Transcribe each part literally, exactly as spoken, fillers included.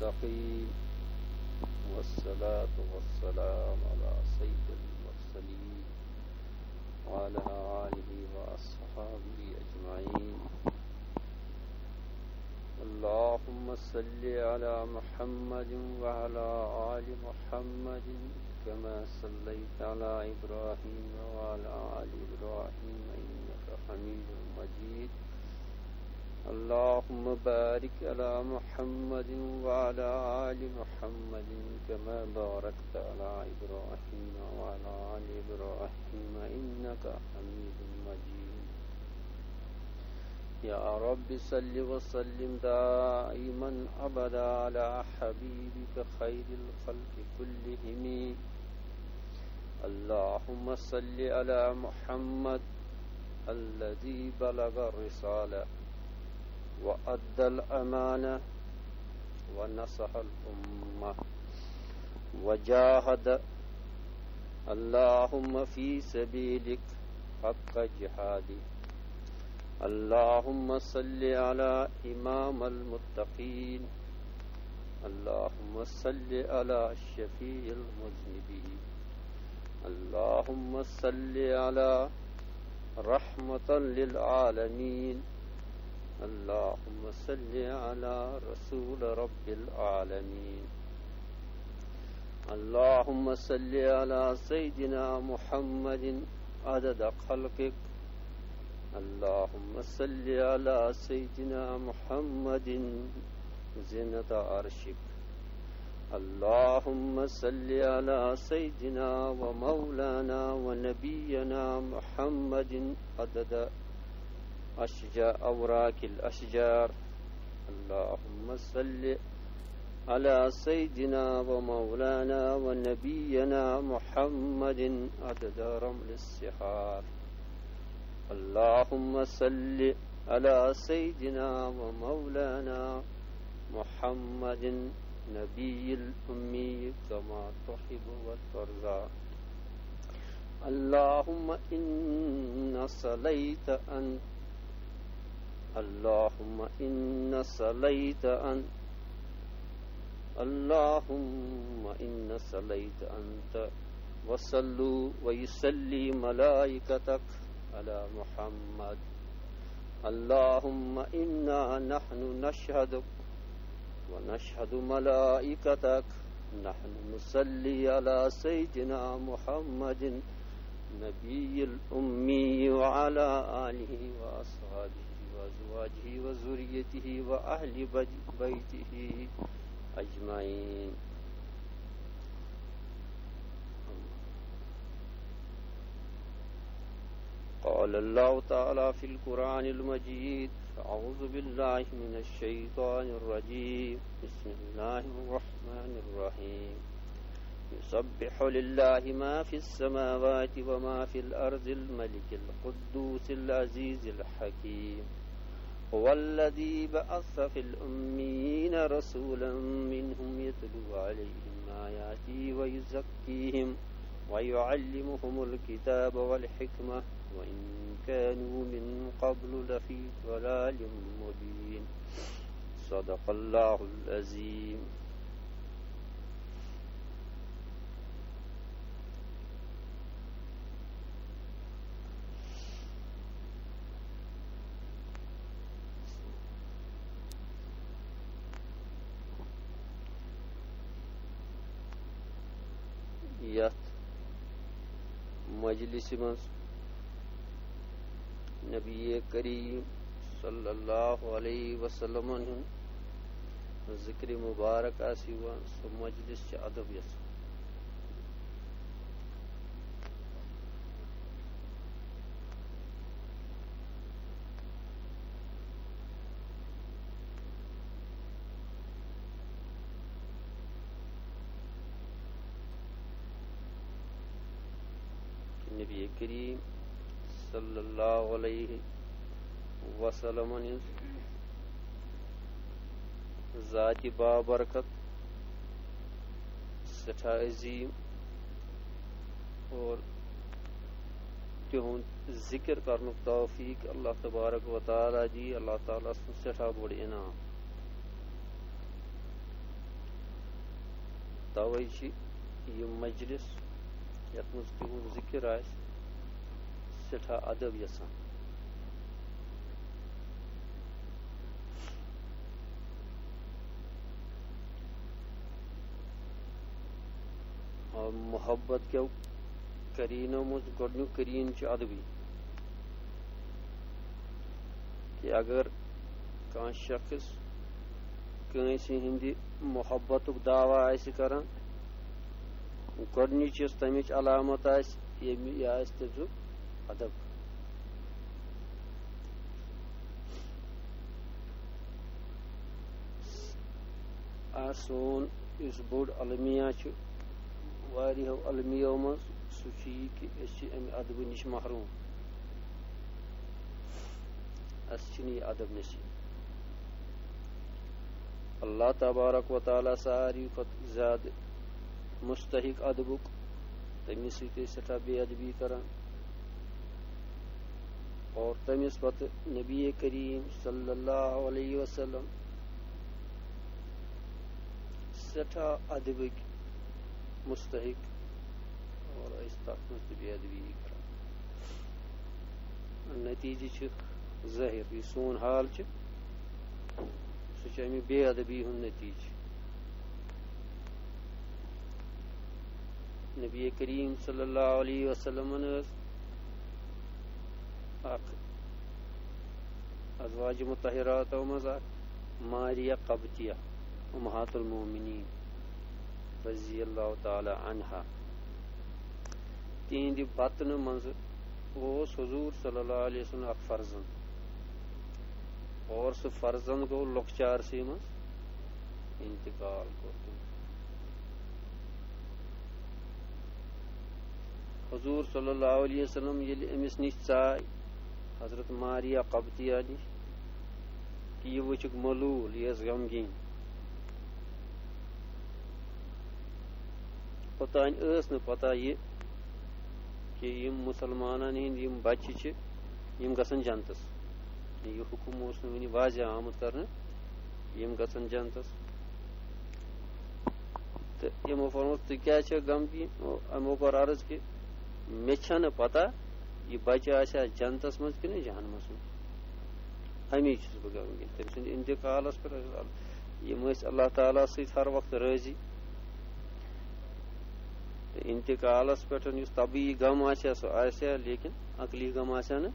المتقين، والصلاة والسلام على سيد المرسلين وعلى آله وأصحابه أجمعين. اللهم صل على محمد وعلى آل محمد كما صليت على إبراهيم وعلى آل إبراهيم إنك حميد مجيد. اللهم بارك على محمد وعلى آل محمد كما باركت على إبراهيم وعلى آل إبراهيم إنك حميد مجيد. يا رب صل وسلم دائما أبدا على حبيبك خير الخلق كلهم. اللهم صل على محمد الذي بلغ الرسالة وأدى الأمانة ونصح الأمة وجاهد اللهم في سبيلك حق جهاده. اللهم صل على إمام المتقين. اللهم صل على شفيع المذنبين. اللهم صل على رحمة للعالمين. اللهم صل على رسول رب العالمين. اللهم صل على سيدنا محمد عدد خلقك. اللهم صل على سيدنا محمد زنة عرشك. اللهم صل على سيدنا ومولانا ونبينا محمد عدد أشجار، أوراق الأشجار. اللهم صل على سيدنا ومولانا ونبينا محمد عدد رمل الصحار. اللهم صل على سيدنا ومولانا محمد نبي الأمي كما تحب وترضى. اللهم إن صليت أنت، اللهم إن صليت أنت، اللهم إن صليت أنت، وصلوا ويصلي ملائكتك على محمد. اللهم إنا نحن نشهدك ونشهد ملائكتك، نحن نصلي على سيدنا محمد نبي الأمي وعلى آله وأصحابه وأزواجه وذريته وأهل بيته أجمعين. قال الله تعالى في القرآن المجيد: أعوذ بالله من الشيطان الرجيم. بسم الله الرحمن الرحيم. يسبح لله ما في السماوات وما في الأرض الملك القدوس العزيز الحكيم. هو الذي بعث في الأميين رسولا منهم يتلو عليهم آياته ويزكيهم ويعلمهم الكتاب والحكمة وإن كانوا من قبل لفي ضلال مبين. صدق الله العظيم. یتھ مجلسہِ منٛز نبی کریم صلی اللہ علیہ وسلمن ہُنٛد ذکر مبارک آسہِ یِوان، سُہ مجلس چھِ ادب یژھان۔ نبی کریم صلی اللہ علیہ وسلمن ہٕنٛز ذاتِ بابرکت، سٮ۪ٹھاہ عظیٖم، اور تِہُنٛد ذِکِر کرنُک توفیٖق اللہ تبارک و تعالیٰ دی۔ اللہ تعالیٰ سُنٛد سٮ۪ٹھاہ بوٚڑ انعام۔ توے چھِ یہِ مجلس، یتھ منٛز تِہُنٛد ذِکر آسہِ، سٮ۪ٹھاہ ادب یژھان۔ آ، محبت کیو قریٖنو منٛز گۄڈٕنیُک قریٖن چھُ ادبی، کہِ اگر کانٛہہ شخص کٲنٛسہِ ہٕنٛدِ محبتُک دعویٰ آسہِ کران، گۄڈٕنِچ یۄس تَمِچ علامت آسہِ، ییٚمہِ، یہِ آسہِ تٔمۍ سُنٛد ادب۔ آ، سون یُس بوٚڑ المیہ چھُ، واریاہو المیو منٛز، سُہ چھُ یہِ کہِ أسۍ چھِ اَمہِ ادبہٕ نِش محروٗم۔ اَسہِ چھُنہٕ یہِ ادب نصیٖب۔ اللہ تبارک و تعالیٰ ساروی کھۄتہٕ زیادٕ مستحق ادبُک، تٔمِس سۭتۍ ٲسۍ سٮ۪ٹھاہ بے ادبی کران۔ اور تٔمِس پتہٕ نبی کریم صلی اللہ علیہ وسلم سٮ۪ٹھاہ ادبٕکۍ مستحق، اور أسۍ تَتھ منٛز تہِ بے ادبی کران۔ نتیٖجہٕ چھِ ظٲہِر، یہِ سون حال چھُ، سُہ چھُ اَمہِ بے ادبی ہُنٛد نتیٖجہٕ۔ نبی کریم صلی اللہ علیہ وسلمن ٲس اکھ ازواج مطہراتو منٛز اکھ، ماریہ قبطیہ، امہات المومنین رضی اللہ تعالیٰ عنہا۔ تِہنٛدِ بطنہٕ منٛزٕ اوس حضور صلی اللہ علیہ وسلم اکھ فرزند، اور سُہ فرزند گوٚو لۄکچارسٕے منٛز انتقال کوٚر تٔمۍ۔ حضور صلی اللہ علیہ وسلم ییٚلہِ أمِس نِش ژاے، حضرت ماریہ قبطیہ نِش، کہِ یہِ وٕچھُکھ ملوٗل، یہِ ٲس غمگیٖن۔ اوٚتام ٲس نہٕ پتہ یہِ کہِ یِم مُسلمانن ہٕنٛدۍ یِم بچہِ چھِ، یِم گژھن جنتس۔ یہِ حُکُم اوس نہٕ وُنہِ واضح آمُت کرنہٕ، یِم گژھن جنتس۔ تہٕ یِمو فرموو، "ژٕ کیٛازِ چھکھ غمگیٖن؟" یِمو کوٚر عرض کہِ مےٚ چھنہٕ پتہ یہِ بچہِ آسیا جنتس منٛز کِنہٕ جہنمس منٛز۔ اَمی چھُس بہٕ غمگیٖن۔ تٔمۍ سٕنٛدِ انتقالس پٮ۪ٹھ ٲسۍ ال-، یِم ٲسۍ اللہ تعالیٰ سۭتۍ ہر وقتہٕ رٲضی۔ تہٕ انتقالس پٮ۪ٹھ یُس طبیعی غم آسہِ ہا، سُہ آسہِ ہا، لیکن عقلی غم آسہِ ہا نہٕ۔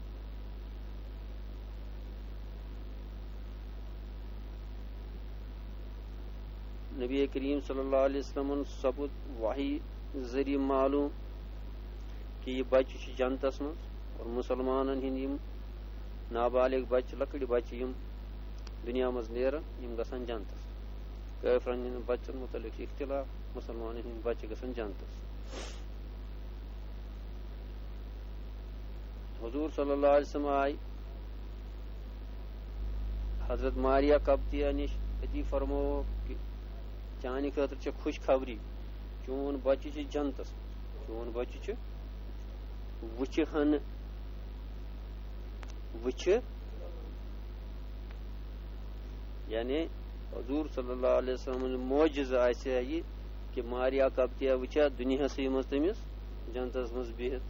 نبی کریم صلی اللہ علیہ وسلمن سپُد وحی ذٔریعہٕ معلوم کہِ یہِ بچہِ چھُ جنتس منٛز، اور مُسلمانن ہٕنٛدۍ یِم نابالغ بچہِ، لۄکٕٹۍ بچہِ یِم دُنیا منٛز نیرن، یِم گژھن جنتس۔ کٲفرن ہٕنٛدٮ۪ن بچن مُتعلق چھُ اختلاف، مُسلمانن ہٕنٛدۍ بچہِ گژھن جنتس۔ حضور صلی اللہ علیہ وسلم آے حضرت ماریہ قبطیہ نِش، أتی فرمووُکھ کہِ چانہِ خٲطرٕ چھےٚ خوشخبری، چون بچہِ چھُ جنتس، چون بچہِ چھُ وٕچھِ ہن، وٕچھِ، یعنی حضور صلی اللہ علیہ وسلم معجزہ آسہِ ہا یہِ کہِ ماریا قبطیہ وٕچھِ ہا دُنیاہسٕے منٛز تٔمِس جنتس منٛز بِہِتھ۔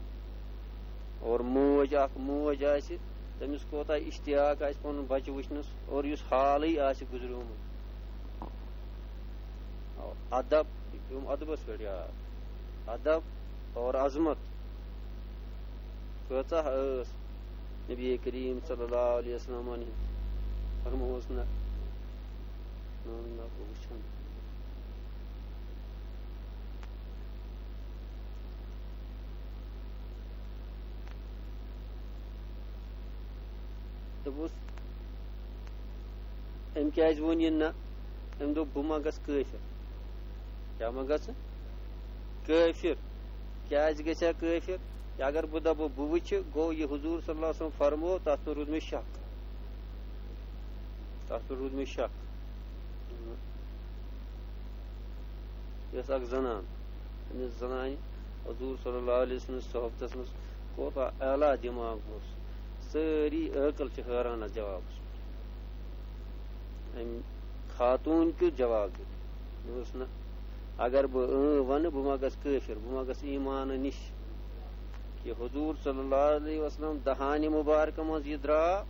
اور موج، اکھ موج آسہِ، تٔمِس کوتاہ اشتیاق آسہِ پنُن بچہِ وٕچھنس، اور یُس حالٕے آسہِ گُزریومُت۔ ادب، یہِ پیوٚم ادبس پٮ۪ٹھ یاد۔ ادب اور عظمت کۭژاہ ٲس نبی کریم صلی اللہ علیہ وسلمن ہٕنٛز۔ فرمووُس نہ، نہ، نہ، بہٕ وٕچھن۔ دوٚپُس، أمۍ کیٛازِ ووٚن یہِ نہ؟ أمۍ دوٚپ، "بہٕ ما گژھٕ کٲفِر؟ کیٛاہ ما گژھٕ کٲفِر؟ کیٛازِ گژھِ ہا کٲفِر؟ کہِ اگر بہٕ دَپہٕ، بہٕ وٕچھِ، گوٚو یہِ حضور صلی اللہ علیہ وسلم فرموو، تَتھ منٛز روٗد مےٚ شک۔ تَتھ منٛز روٗد مےٚ شک۔" یۄس اکھ زنان، أمِس زنانہِ حضور صلی اللہ علیہ وسلم صحبتس منٛز کوتاہ اعلیٰ دماغ اوس، سٲری عٲقل چھِ حٲران اتھ جوابس پٮ۪ٹھ۔ أمۍ خاتوٗن کیُتھ جواب دیُت؟ مےٚ اوس نہ، اگر بہٕ اۭں وَنہٕ، بہٕ ما گژھٕ کٲفِر، بہٕ ما گژھٕ ایٖمانہٕ نِش؟ کہِ حضور صلی اللہ علیہ وسلم دہانہِ مُبارکہٕ منٛز یہِ درٛاو،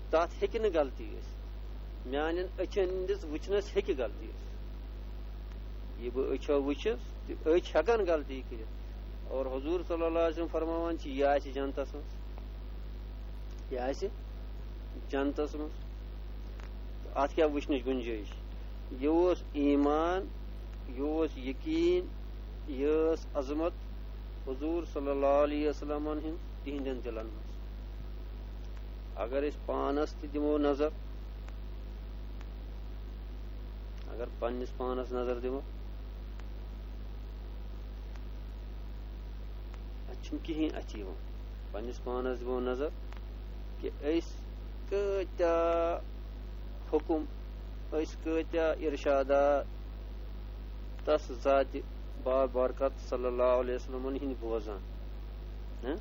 تَتھ ہیٚکہِ نہٕ غلطی ٲسِتھ۔ میٛانٮ۪ن أچھن ہٕنٛدِس وٕچھنَس ہیٚکہِ غلطی ٲسِتھ۔ یہِ بہٕ أچھو وٕچھِس، تہٕ أچھ ہٮ۪کَن غلطی کٔرِتھ۔ اور حضور صلی اللہ علیہ وسلم فرماوان چھِ، یہِ آسہِ جنتَس منٛز۔ یہِ آسہِ جنتَس منٛز۔ تہٕ اَتھ کیٛاہ وٕچھنٕچ گُنجٲیِش؟ یہِ اوس ایٖمان، یہِ اوس یقیٖن، یہِ ٲس عظمت حضور صلی اللہ علیہ وسلمن ہٕنٛز تِہنٛدٮ۪ن دِلن منٛز۔ اگر أسۍ پانس تہِ دِمو نظر، اگر پننِس پانس نظر دِمو، اَتہِ چھُنہٕ کِہیٖنۍ اَتھِ یِوان۔ پننِس پانس دِمو نظر کہِ أسۍ کۭتیٛاہ حُکُم، أسۍ کۭتیٛاہ اِرشادات تس ذاتِ بابرکت صلی اللہ علیہ وسلمن ہٕنٛدۍ بوزان، ہہ؟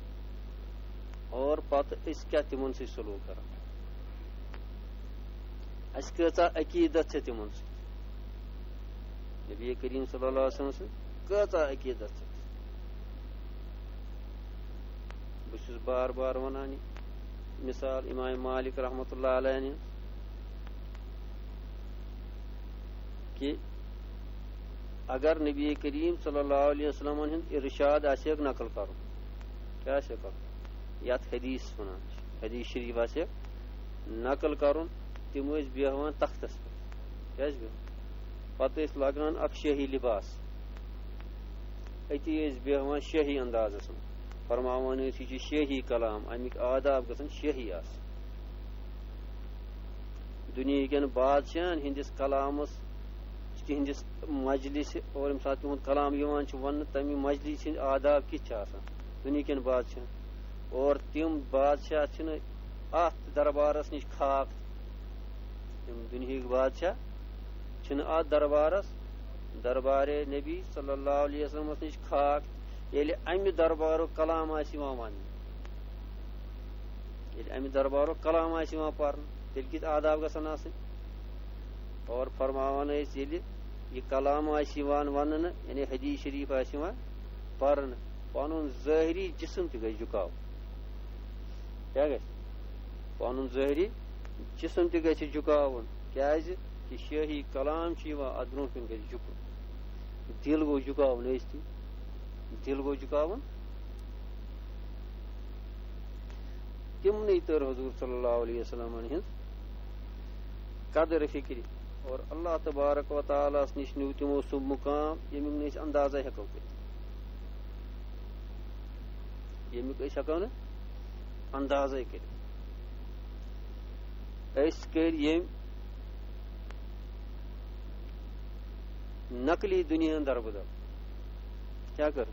اور پتہٕ أسۍ کیٛاہ تِمن سۭتۍ سلوٗک کران؟ اَسہِ کۭژاہ عقیٖدت چھےٚ تِمن سۭتۍ؟ نبی کریم صلی اللہ علیہ وسلم سۭتۍ کۭژاہ عقیٖدت چھےٚ؟ بہٕ چھُس بار بار وَنان یہِ مثال امام مالک رحمتہ اللہ علیہ ہٕنٛز، کہِ اگر نبی کریم صلی اللہ علیہ وسلمن ہُنٛد ارشاد آسہِ ہا نقل کرُن، کیٛاہ آسہِ ہا کرُن؟ یَتھ حدیث وَنان چھِ، حدیث شریف آسہِ ہا نقل کرُن، تِم ٲسۍ بیٚہوان تختس پٮ۪ٹھ۔ کیٛازِ بیٚہوان؟ پتہٕ ٲسۍ لاگان اکھ شٲہی لباس، أتی ٲسۍ بیٚہوان شٲہی اندازس منٛز، فرماوان ٲسۍ، یہِ چھُ شٲہی کلام، اَمِکۍ آداب گژھن شٲہی آسٕنۍ۔ دُنیہٕکٮ۪ن بادشاہن ہٕنٛدِس کلامس، تِہنٛدِس مجلسہِ، اور ییٚمہِ ساتہٕ تِہُنٛد کلام یِوان چھُ وننہٕ، تَمہِ مجلسہِ ہٕنٛدۍ آداب کِتھ چھِ آسان دُنیہٕکٮ۪ن بادشاہن؟ اور تِم بادشاہ چھِنہٕ اَتھ دربارس نِش خاک، یِم دُنیہٕکۍ بادشاہ چھِنہٕ اَتھ دربارس، دربارِ نبی صلی اللہ علیہ وسلمس نِش خاک، ییٚلہِ اَمہِ دربارُک کلام آسہِ یِوان وننہٕ، ییٚلہِ اَمہِ دربارُک کلام آسہِ یِوان پرنہٕ، تیٚلہِ کِتھ آداب گژھن آسٕنۍ؟ اور فرماوان ٲسۍ، ییٚلہِ یہِ کلام آسہِ یِوان وننہٕ، یعنی حدیث شریف آسہِ یِوان پرنہٕ، پنُن ظٲہری جسم تہِ گژھِ جُکاوُن۔ کیٛاہ گژھِ؟ پنُن ظٲہری جسم تہِ گژھِ جُکاوُن۔ کیٛازِ؟ کہِ شٲہی کلام چھُ یِوان، اتھ برونٛہہ کُن گژھِ جُکُن۔ دِل گوٚو جُکاوُن، ٲسۍ تہِ دِل گوٚو جُکاوُن۔ تِمنٕے تٔر حضور صلی اللہ علیہ وسلمن ہٕنٛز قدر فکرِ، اور اللہ تبارک و تعالیٰ ہس نِش نیوٗ تِمو سُہ مُقام، ییٚمیُک نہٕ أسۍ اندازے ہٮ۪کو کٔرِتھ، ییٚمیُک أسۍ ہٮ۪کو نہٕ اندازے کٔرِتھ۔ أسۍ کٔرۍ ییٚمۍ نقلی دُنیاہن دربدر۔ کیٛاہ کٔر؟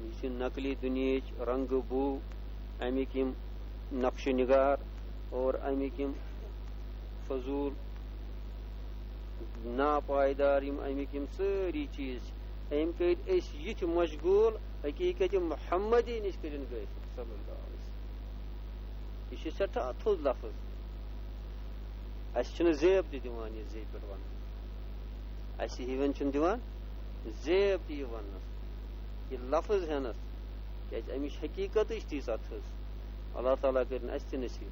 یہِ چھِ نقلی دُنیہٕچ رنٛگہٕ بوٗ، اَمِکۍ یِم نقش و نگار اور اَمِکۍ یِم فضوٗل ناپائیدار یِم اَمِکۍ یِم سٲری چیٖز چھِ، أمۍ کٔرۍ أسۍ یِتھۍ مشغوٗل، حقیٖقت محمدی نِش کٔرِن غٲفِل صلی اللہ علیہ وسلم۔ یہِ چھُ سٮ۪ٹھاہ تھوٚد لفظ۔ اَسہِ چھُنہٕ زیب تہِ دِوان یہِ زیبہِ پٮ۪ٹھ وَننہٕ۔ اَسہِ ہِوٮ۪ن چھُنہٕ دِوان زیب تہِ یہِ وَننَس، یہِ لفظ ہٮ۪نَس، کیٛازِ اَمِچ حقیٖقتٕے چھِ تیٖژاہ تھٔز۔ اللہ تعالیٰ کٔرِن اَسہِ تہِ نصیٖب۔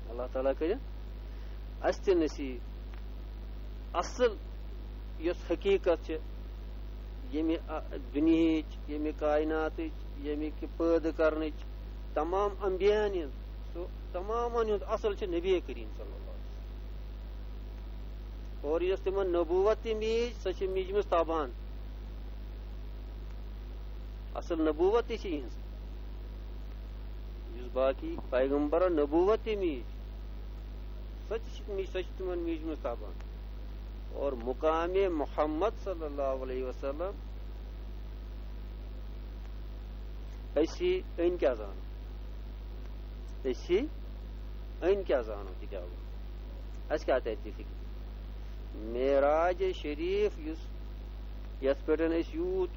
اللہ تعالیٰ کٔرِن اَسہِ تہِ نصیٖب۔ اَصٕل یۄس حقیٖقت چھِ، ییٚمہِ، آ، دُنیہٕچ، ییٚمہِ کائناتٕچ، ییٚمہِ کہِ پٲدٕ کرنٕچ، تمام انبیاہن ہٕنٛز، سُہ تمامن ہُنٛد اصل چھُ نبی کریم صلی اللہ علیہ وسلم۔ اور یۄس تِمن نبوت تہِ میٖج، سۄ چھِ میٖجمٕژ تابان۔ اصل نبوت تہِ چھِ یِہٕنٛز۔ یُس باقی پیغمبرن نبوت تہِ میٖج، سۄ تہِ چھِ میٖج، سۄ چھِ تِمن میٖجمٕژ تابان۔ اور مقام محمد صلی اللہ علیہ وسلم، أسۍ أنۍ کیٛاہ زانو؟ أسۍ أنۍ کیٛاہ زانو کِتابو؟ اَسہِ کیٛاہ تَرِ تہِ فِکرِ؟ معراج شریٖف یُس، یَتھ پٮ۪ٹھ أسۍ یوٗت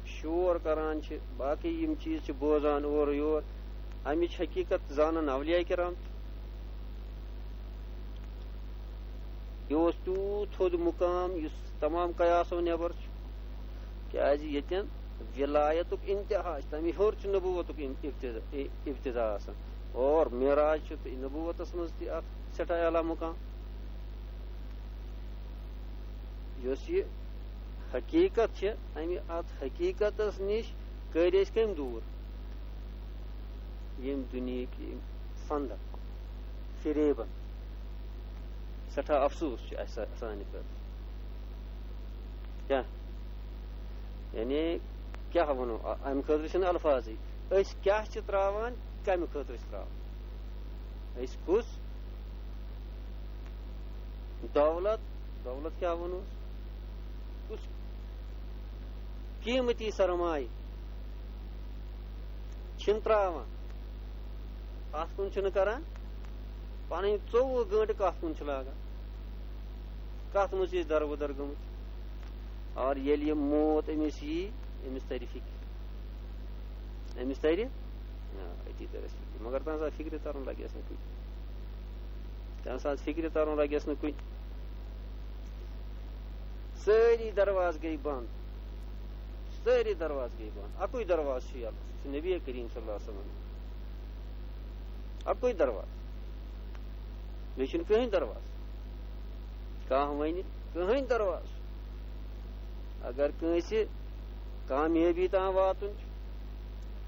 شور کران چھِ، باقٕے یِم چیٖز چھِ بوزان اورٕ یور، اَمِچ حقیٖقت زانن اولیاء کرام تہِ؟ یہِ اوس تیوٗت تھوٚد مُقام یُس تمام قیاسو نٮ۪بر چھُ، کیازِ ییٚتٮ۪ن ولایتُک انتہا چھُ، تَمہِ ہیوٚر چھُ نبوتُک ان-، ابتدا، اِ-، ابتدا آسان، اور معراج چھُ تہٕ نبوتس منٛز تہِ اکھ سٮ۪ٹھاہ اعلیٰ مُقام۔ یۄس یہِ حقیٖقت چھِ، اَمہِ، اَتھ حقیٖقتس نِش کٔرۍ أسۍ کٔمۍ دوٗر؟ ییٚمہِ دُنیہٕکۍ یِم فندق، فریبن۔ سٮ۪ٹھاہ افسوس چھُ اَسہِ، سانہِ خٲطرٕ۔ کیٛاہ؟ یعنی، کیٛاہ وَنو؟ اَ-، اَمہِ خٲطرٕ چھِنہٕ الفاظٕے۔ أسۍ کیٛاہ چھِ ترٛاوان، کَمہِ خٲطرٕ چھِ ترٛاوان؟ أسۍ کُس دولت، دولت کیٛاہ وَنو؟ کُس قیمتی سرمایہ چھِنہٕ ترٛاوان، اَتھ کُن چھِنہٕ کران، پَنٕنۍ ژوٚوُہ گٲنٛٹہٕ کَتھ کُن چھِ لاگان، کَتھ منٛز چھِ أسۍ دربٕدر گٔمٕتۍ؟ اور ییٚلہِ یہِ موت أمِس یی، أمِس تَرِ فِکرِ، أمِس تَرِ، آ، أتی تَرِ اَسہِ فِکرِ۔ مگر تَمہِ ساتہٕ فِکرِ تَرُن لَگٮ۪س نہٕ کُنہِ۔ تَمہِ ساتہٕ فِکرِ تَرُن لَگٮ۪س نہٕ کُنہِ۔ سٲری دروازٕ گٔے بنٛد، سٲری دروازٕ گٔے بنٛد۔ اَکُے دروازٕ چھُ یَلہٕ، سُہ چھُ نبی کریم صلی اللہ علیہ وسلم۔ اَکُے دروازٕ، بیٚیہِ چھُنہٕ کٕہٕنۍ دروازٕ۔ کانٛہہ وَنہِ کٕہٕنۍ دروازٕ۔ اگر کٲنٛسہِ کامیٲبی تام واتُن چھُ،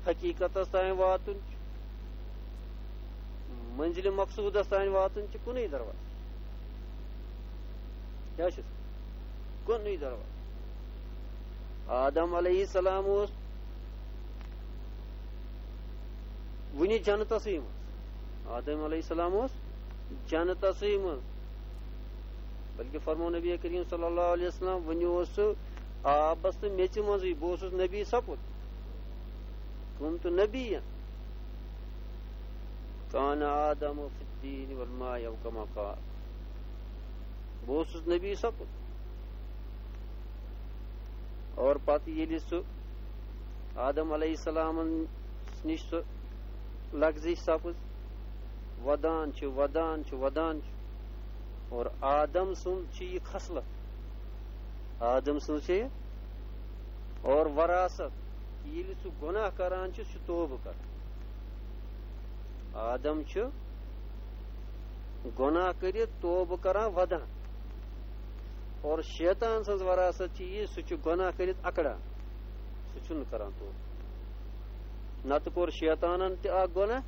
حقیٖقتس تام واتُن چھُ، منزلِ مقصودس تام واتُن چھُ کُنُے دروازٕ۔ کیٛاہ چھُس؟ کُنُے دروازٕ۔ آدم علیہ السلام اوس وُنہِ جنتسٕے منٛز۔ آدم علیہ السلام اوس جنتسٕے منٛز۔ بلکہِ فرموو نبی کریم صلی اللہ علیہ وسلم، وُنہِ اوس سُہ آبس تہٕ میٚژِ منٛزٕے، بہٕ اوسُس نبی سپُد۔ كنت نبيا، كان آدم في الطين والماء أو كما قال۔ بہٕ اوسُس نبی سپُد۔ اور پتہٕ ییٚلہِ سُہ آدم علیہ السلامن نِش سُہ لغزش سپٕز، ودان چھُ، ودان چھُ، ودان چھُ۔ اور آدم سُنٛد چھِ یہِ خصلت، آدم سٕنٛز چھِ یہِ اور وراثت، ییٚلہِ سُہ گۄناہ کران چھُ، سُہ چھُ توبہٕ کران۔ آدم چھُ گۄناہ کٔرِتھ توبہٕ کران، ودان۔ اور شیطان سٕنٛز وراثت چھِ یہِ، سُہ چھُ گۄناہ کٔرِتھ اکڑان، سُہ چھُنہٕ کران توبہٕ۔ نتہٕ کوٚر شیطانن تہِ اکھ گۄناہ،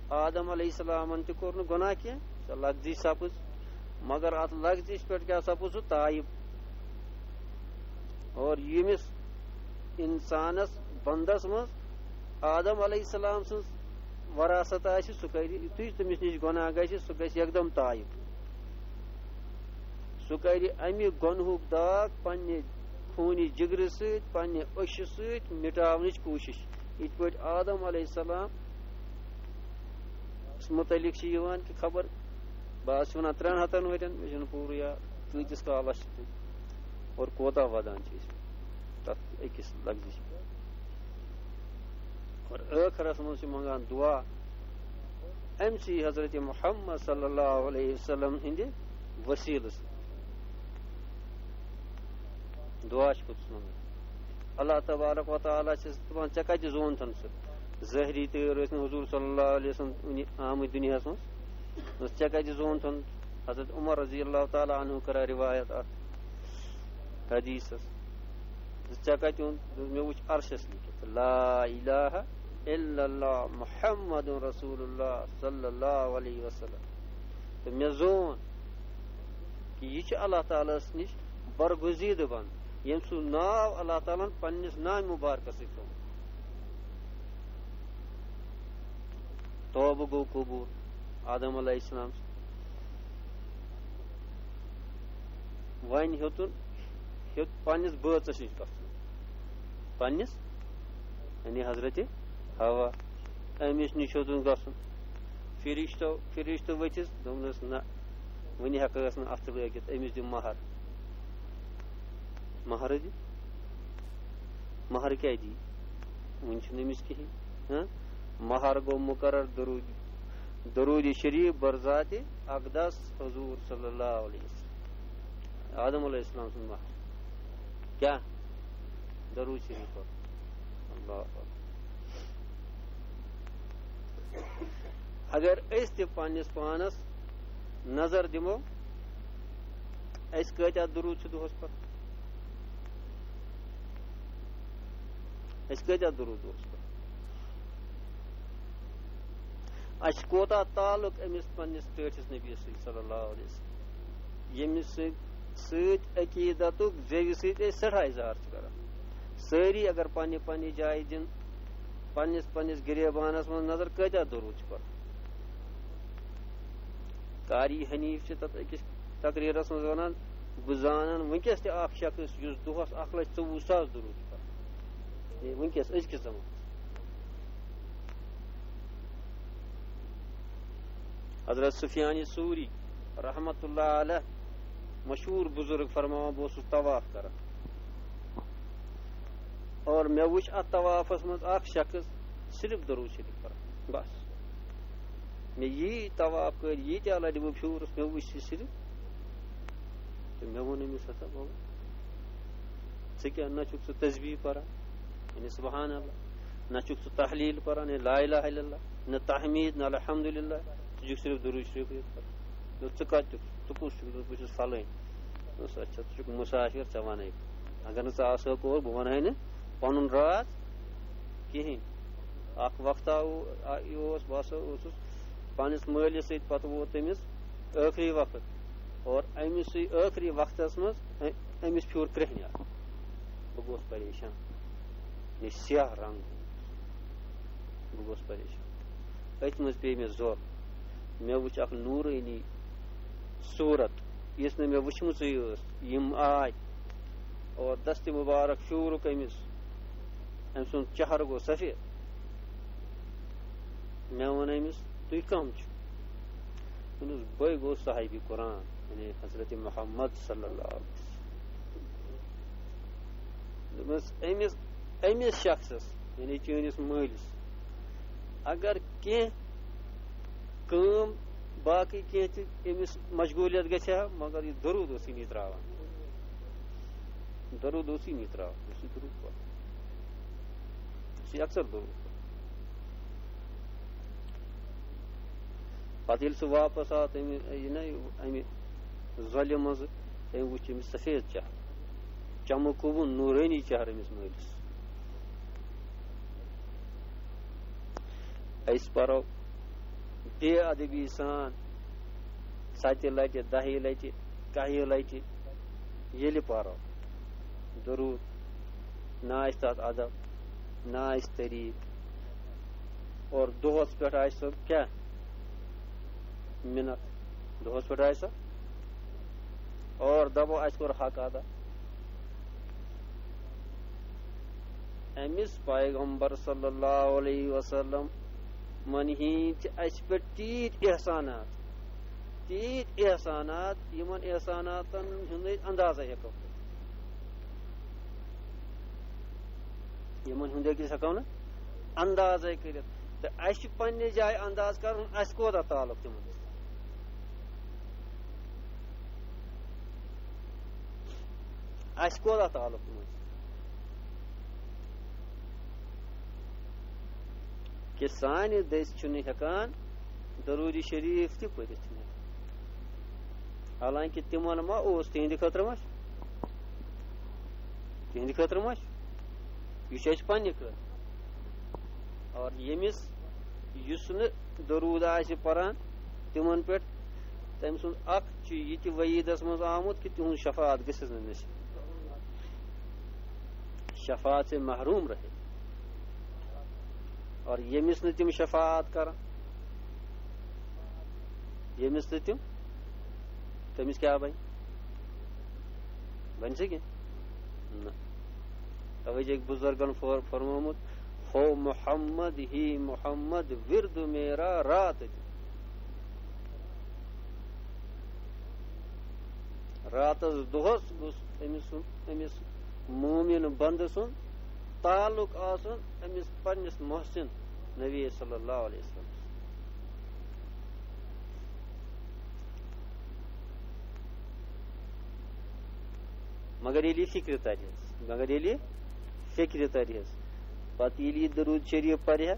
آدم علیہ السلامن تہِ کوٚر نہٕ گۄناہ کینٛہہ، سۄ لغزی سپٕز، مگر اتھ لغزش پٮ۪ٹھ کیٛاہ سپُز؟ سُہ تایب۔ اور ییٚمِس انسانس، بندس منٛز آدم علیہ السلام سٕنٛز وراثت آسہِ، سُہ کرِ، یُتھُے تٔمِس نِش گۄناہ گژھِ، سُہ گژھِ یکدم تایب۔ سُہ کرِ امہِ گۄنہُک داغ پننہِ خوٗنہِ جگرٕ سۭتۍ، پننہِ أچھِ سۭتۍ مٹاونٕچ کوٗشش۔ یِتھ پٲٹھۍ آدم علیہ السلام متعلق چھِ یِوان کہِ خبر، بہٕ حظ چھُس وَنان ترٛٮ۪ن ہَتَن ؤرِین، مےٚ چھُنہٕ پوٗرٕ یاد کۭتِس کالَس چھِ تِم اور کوتاہ وَدان چھِ أسۍ تَتھ أکِس لفظہِ چھِ۔ اور ٲخرَس منٛز چھِ منٛگان دُعا اَمہِ سٕے حضرت محمد صلی اللہ علیہ وسلم ہٕنٛدِ وسیٖلہٕ سۭتۍ۔ دُعا چھِ پوٚتُس منٛگان۔ اللہ تبارک و تعالیٰ چھِ دَپان، "ژےٚ کَتہِ زونتھَن سُہ؟" ظٲہری تٲر ٲسۍ نہٕ حضور صلی اللہ علیہ وسلم وٕنہِ آمٕتۍ دُنیاہَس منٛز۔ دوٚپُس، "ژےٚ کَتہِ زونتھَن؟" حضرت عمر رضی اللہ تعالیٰ عنہ کران روایت اَتھ حدیثَس۔ دوٚپُس، "ژےٚ کَتہِ اوٚن؟" دوٚپُس، "مےٚ وٕچھ عرشَس لیٖکھِتھ، لا الہ الا اللہ محمد رسول اللہ صلی اللہ علیہ وسلم۔" تہٕ مےٚ زون کہِ یہِ چھُ اللہ تعالیٰ ہَس نِش برگزیدٕ بنٛد، ییٚمۍ سُنٛد ناو اللہ تعالیٰ ہَن پننِس نامہِ مُبارکَس سۭتۍ تھوٚومُت۔ توبہٕ گوٚو قبوٗل آدم علیہ السلام۔ وۄنۍ ہیوٚتُن، ہیوٚت پننِس بٲژَس نِش گژھُن، پننِس، یعنی حضرت حوا، أمِس نِش ہیوٚتُن گژھُن۔ فرشتو، فرشتہٕ ؤتھِس، دوٚپنَس، "نہ، وٕنہِ ہٮ۪کہٕ ٲس نہٕ اَتھٕ لٲگِتھ، أمِس دِ مہر۔" مہرٕ دِ؟ مہر کیٛاہ دی؟ وٕنہِ چھُنہٕ أمِس کِہیٖنۍ۔ ہاں؟ مہر گوٚو مُقرر، درود، درود شریف بر ذات اقدس حضور صلی اللہ علیہ وسلم، آدم علیہ السلام سُنٛد محض۔ کیٛاہ؟ درود شریف پَر۔ اللہ اکبر۔ اگر أسۍ تہِ پننِس پانس نظر دِمو، أسۍ کۭتیاہ درود چھِ دۄہس پَران؟ أسۍ کۭتیاہ درود دۄہس پَران؟ اَسہِ کوٗتاہ تعلق أمِس پننِس ٹٲٹھِس نبی سۭتۍ صلی اللہ علیہ وسلم، ییٚمِس سۭتۍ، سۭتۍ عقیٖدتُک زیوِ سۭتۍ أسۍ سٮ۪ٹھاہ اظہار چھِ کران۔ سٲری اگر پننہِ پننہِ جایہِ دِن، پننِس پننِس گریبانس منٛز نظر، کۭتیاہ درود چھِ پَران؟ قاری حنیف چھِ تَتھ أکِس تقریٖرَس منٛز وَنان، بہٕ زانَن وٕنکیٚس تہِ اَکھ شخص یُس دۄہَس اَکھ لَچھ ژوٚوُہ ساس درود چھُ پَران۔ یعنی وٕنکیٚس أزکِس زمانَس۔ حضرت سفیان ثوری رحمت اللہ علیہ، مشہوٗر بُزرگ، فرماوان، بہٕ اوسُس طواف کران اور مےٚ وُچھ اَتھ طوافَس منٛز اَکھ شخص صرف درود شریف پَران، بس۔ مےٚ یی طواف کٔرۍ، ییٖتیٛاہ لَٹہِ بہٕ پھیوٗرُس، مےٚ وُچھ یہِ صرف۔ تہٕ مےٚ ووٚن أمِس، ہسا بابا، ژٕ کیٛاہ، نہ چھُکھ ژٕ تسبیح پَران، یعنی سبحان اللہ، نہ چھُکھ ژٕ تحلیٖل پَران، یعنی لا الہ الا اللہ، نہ تحمید، نہ الحمدللہ، ژٕ چھُکھ صرف درود شریفٕے یوت پَران۔ دوٚپ، ژٕ کَتہِ چھُکھ؟ ژٕ کُس چھُکھ؟ دوٚپ، بہٕ چھُس فلٲنۍ۔ دوٚپُس، اچھا، ژٕ چھُکھ مُسافِر، ژےٚ وَنَے۔ اگر نہٕ ژٕ آسہٕ ہَکھ اور، بہٕ وَنہٕ ہَے نہٕ پَنُن راز کِہیٖنۍ۔ اَکھ وقتہ او-، آ-، یہِ اوس، بہٕ ہسا اوسُس پننِس مٲلِس سۭتۍ، پتہٕ ووت تٔمِس ٲخری وقت، اور أمِس سٕے ٲخری وقتس منٛز أ-، أمِس پھیوٗر کرٛیٚہنیٛار۔ بہٕ گوس پریشان، مےٚ سیاہ رنٛگ، بہٕ گوس پریشان۔ أتھۍ منٛز پیٚیہِ مےٚ زور، مےٚ وُچھ اکھ نوٗرٲنی صوٗرت، یُس نہٕ مےٚ وُچھمٕژٕے ٲس۔ یِم آے اور دستِ مُبارک پھیوٗرُکھ أمِس، أمۍ سُنٛد چہرٕ گوٚو سفید۔ مےٚ ووٚن أمِس، "تُہۍ کَم چھِو؟" دوٚپنَس، "بٕے گوٚو صاحبِ قرآن، یعنی حضرت محمد صلی اللہ علیہ وسلم۔" دوٚپمَس، أمِس، أمِس شخصس، یعنی چٲنِس مٲلِس، اگر کینٛہہ کٲم، باقٕے کینٛہہ تہِ أمِس مشغوٗلیت گژھِ ہا، مگر یہِ درود اوس یہِ نہٕ ترٛاوان۔ درود اوس یہِ نہٕ ترٛاوان، یہِ اوس یہِ درود پَران۔ یہِ اوس یہِ اکثر درود پَران۔ پتہٕ ییٚلہِ سُہ واپس آو، تٔمۍ، یہِ نہ، اَمہِ ظۄلہِ منٛزٕ، تٔمۍ وُچھ أمِس سفید چہرٕ، چمکوُن نوٗرٲنی چہرٕ أمِس مٲلِس۔ أسۍ پرو بے ادبی سان ستہِ لٹہِ، دہہِ لٹہِ، کاہہِ لٹہِ ییٚلہِ پرو درود، نہ آسہِ تتھ ادب، نہ آسہِ طریقہٕ، اور دۄہس پٮ۪ٹھ آسہِ سۄ کیٛاہ؟ مِنت۔ دۄہس پٮ۪ٹھ آسہِ سۄ اور دپو، اسہِ کوٚر حق ادا۔ أمِس پیغمبر صلی اللہ علیہ وسلم من ہِنٛدۍ چھِ اَسہِ پٮ۪ٹھ تیٖتۍ احسانات، تیٖتۍ احسانات، یِمن احساناتن ہُنٛد أسۍ اندازے ہٮ۪کو کٔرِتھ۔ یِمن ہُنٛد أکِس ہٮ۪کو نہٕ اندازے کٔرِتھ۔ تہٕ اَسہِ چھُ پننہِ جایہِ انداز کرُن، اَسہِ کوتاہ تعلق تِمن سۭتۍ۔ اَسہِ کوتاہ تعلق تِمن سۭتۍ؟ کہِ سانہِ دٔسۍ چھُنہٕ ہٮ۪کان درود شریف تہِ پٔرِتھ۔ حالانکہِ تِمن ما اوس، تِہنٛدِ خٲطرٕ ما چھُ؟ تِہنٛدِ خٲطرٕ ما چھُ؟ یہِ چھُ اَسہِ پننہِ خٲطرٕ۔ اور ییٚمِس، یُس نہٕ درود آسہِ پران تِمن پٮ۪ٹھ، تٔمۍ سُنٛد اکھ چھُ یہِ تہِ وعیٖدس منٛز آمُت کہِ تِہُنٛد شفاعت گٔژھِس نہٕ نصیب، شفاعت سے محروم رہے۔ اور ییٚمِس نہٕ تِم شفاعت کران، ییٚمِس نہٕ تِم، تٔمِس کیٛاہ بنہِ؟ بنہِ سا کینٛہہ؟ نہ۔ توے چھِ أکۍ بُزرگن فور-، فرمومُت، "ہو محمد ہی محمد ورد میرا رات دن۔" راتس دۄہس گوٚژھ أمِس سُنٛد، أمِس مومن بندٕ سُنٛد تعلق آسُن أمِس پننِس محسن نبی صلی اللہ علیہ وسلم۔ مگر ییٚلہِ یہِ فِکرِ تَرِ حظ، مگر ییٚلہِ یہِ فِکرِ تَرِ حظ، پَتہٕ ییٚلہِ یہِ دروٗد شریٖف پَرِ ہا،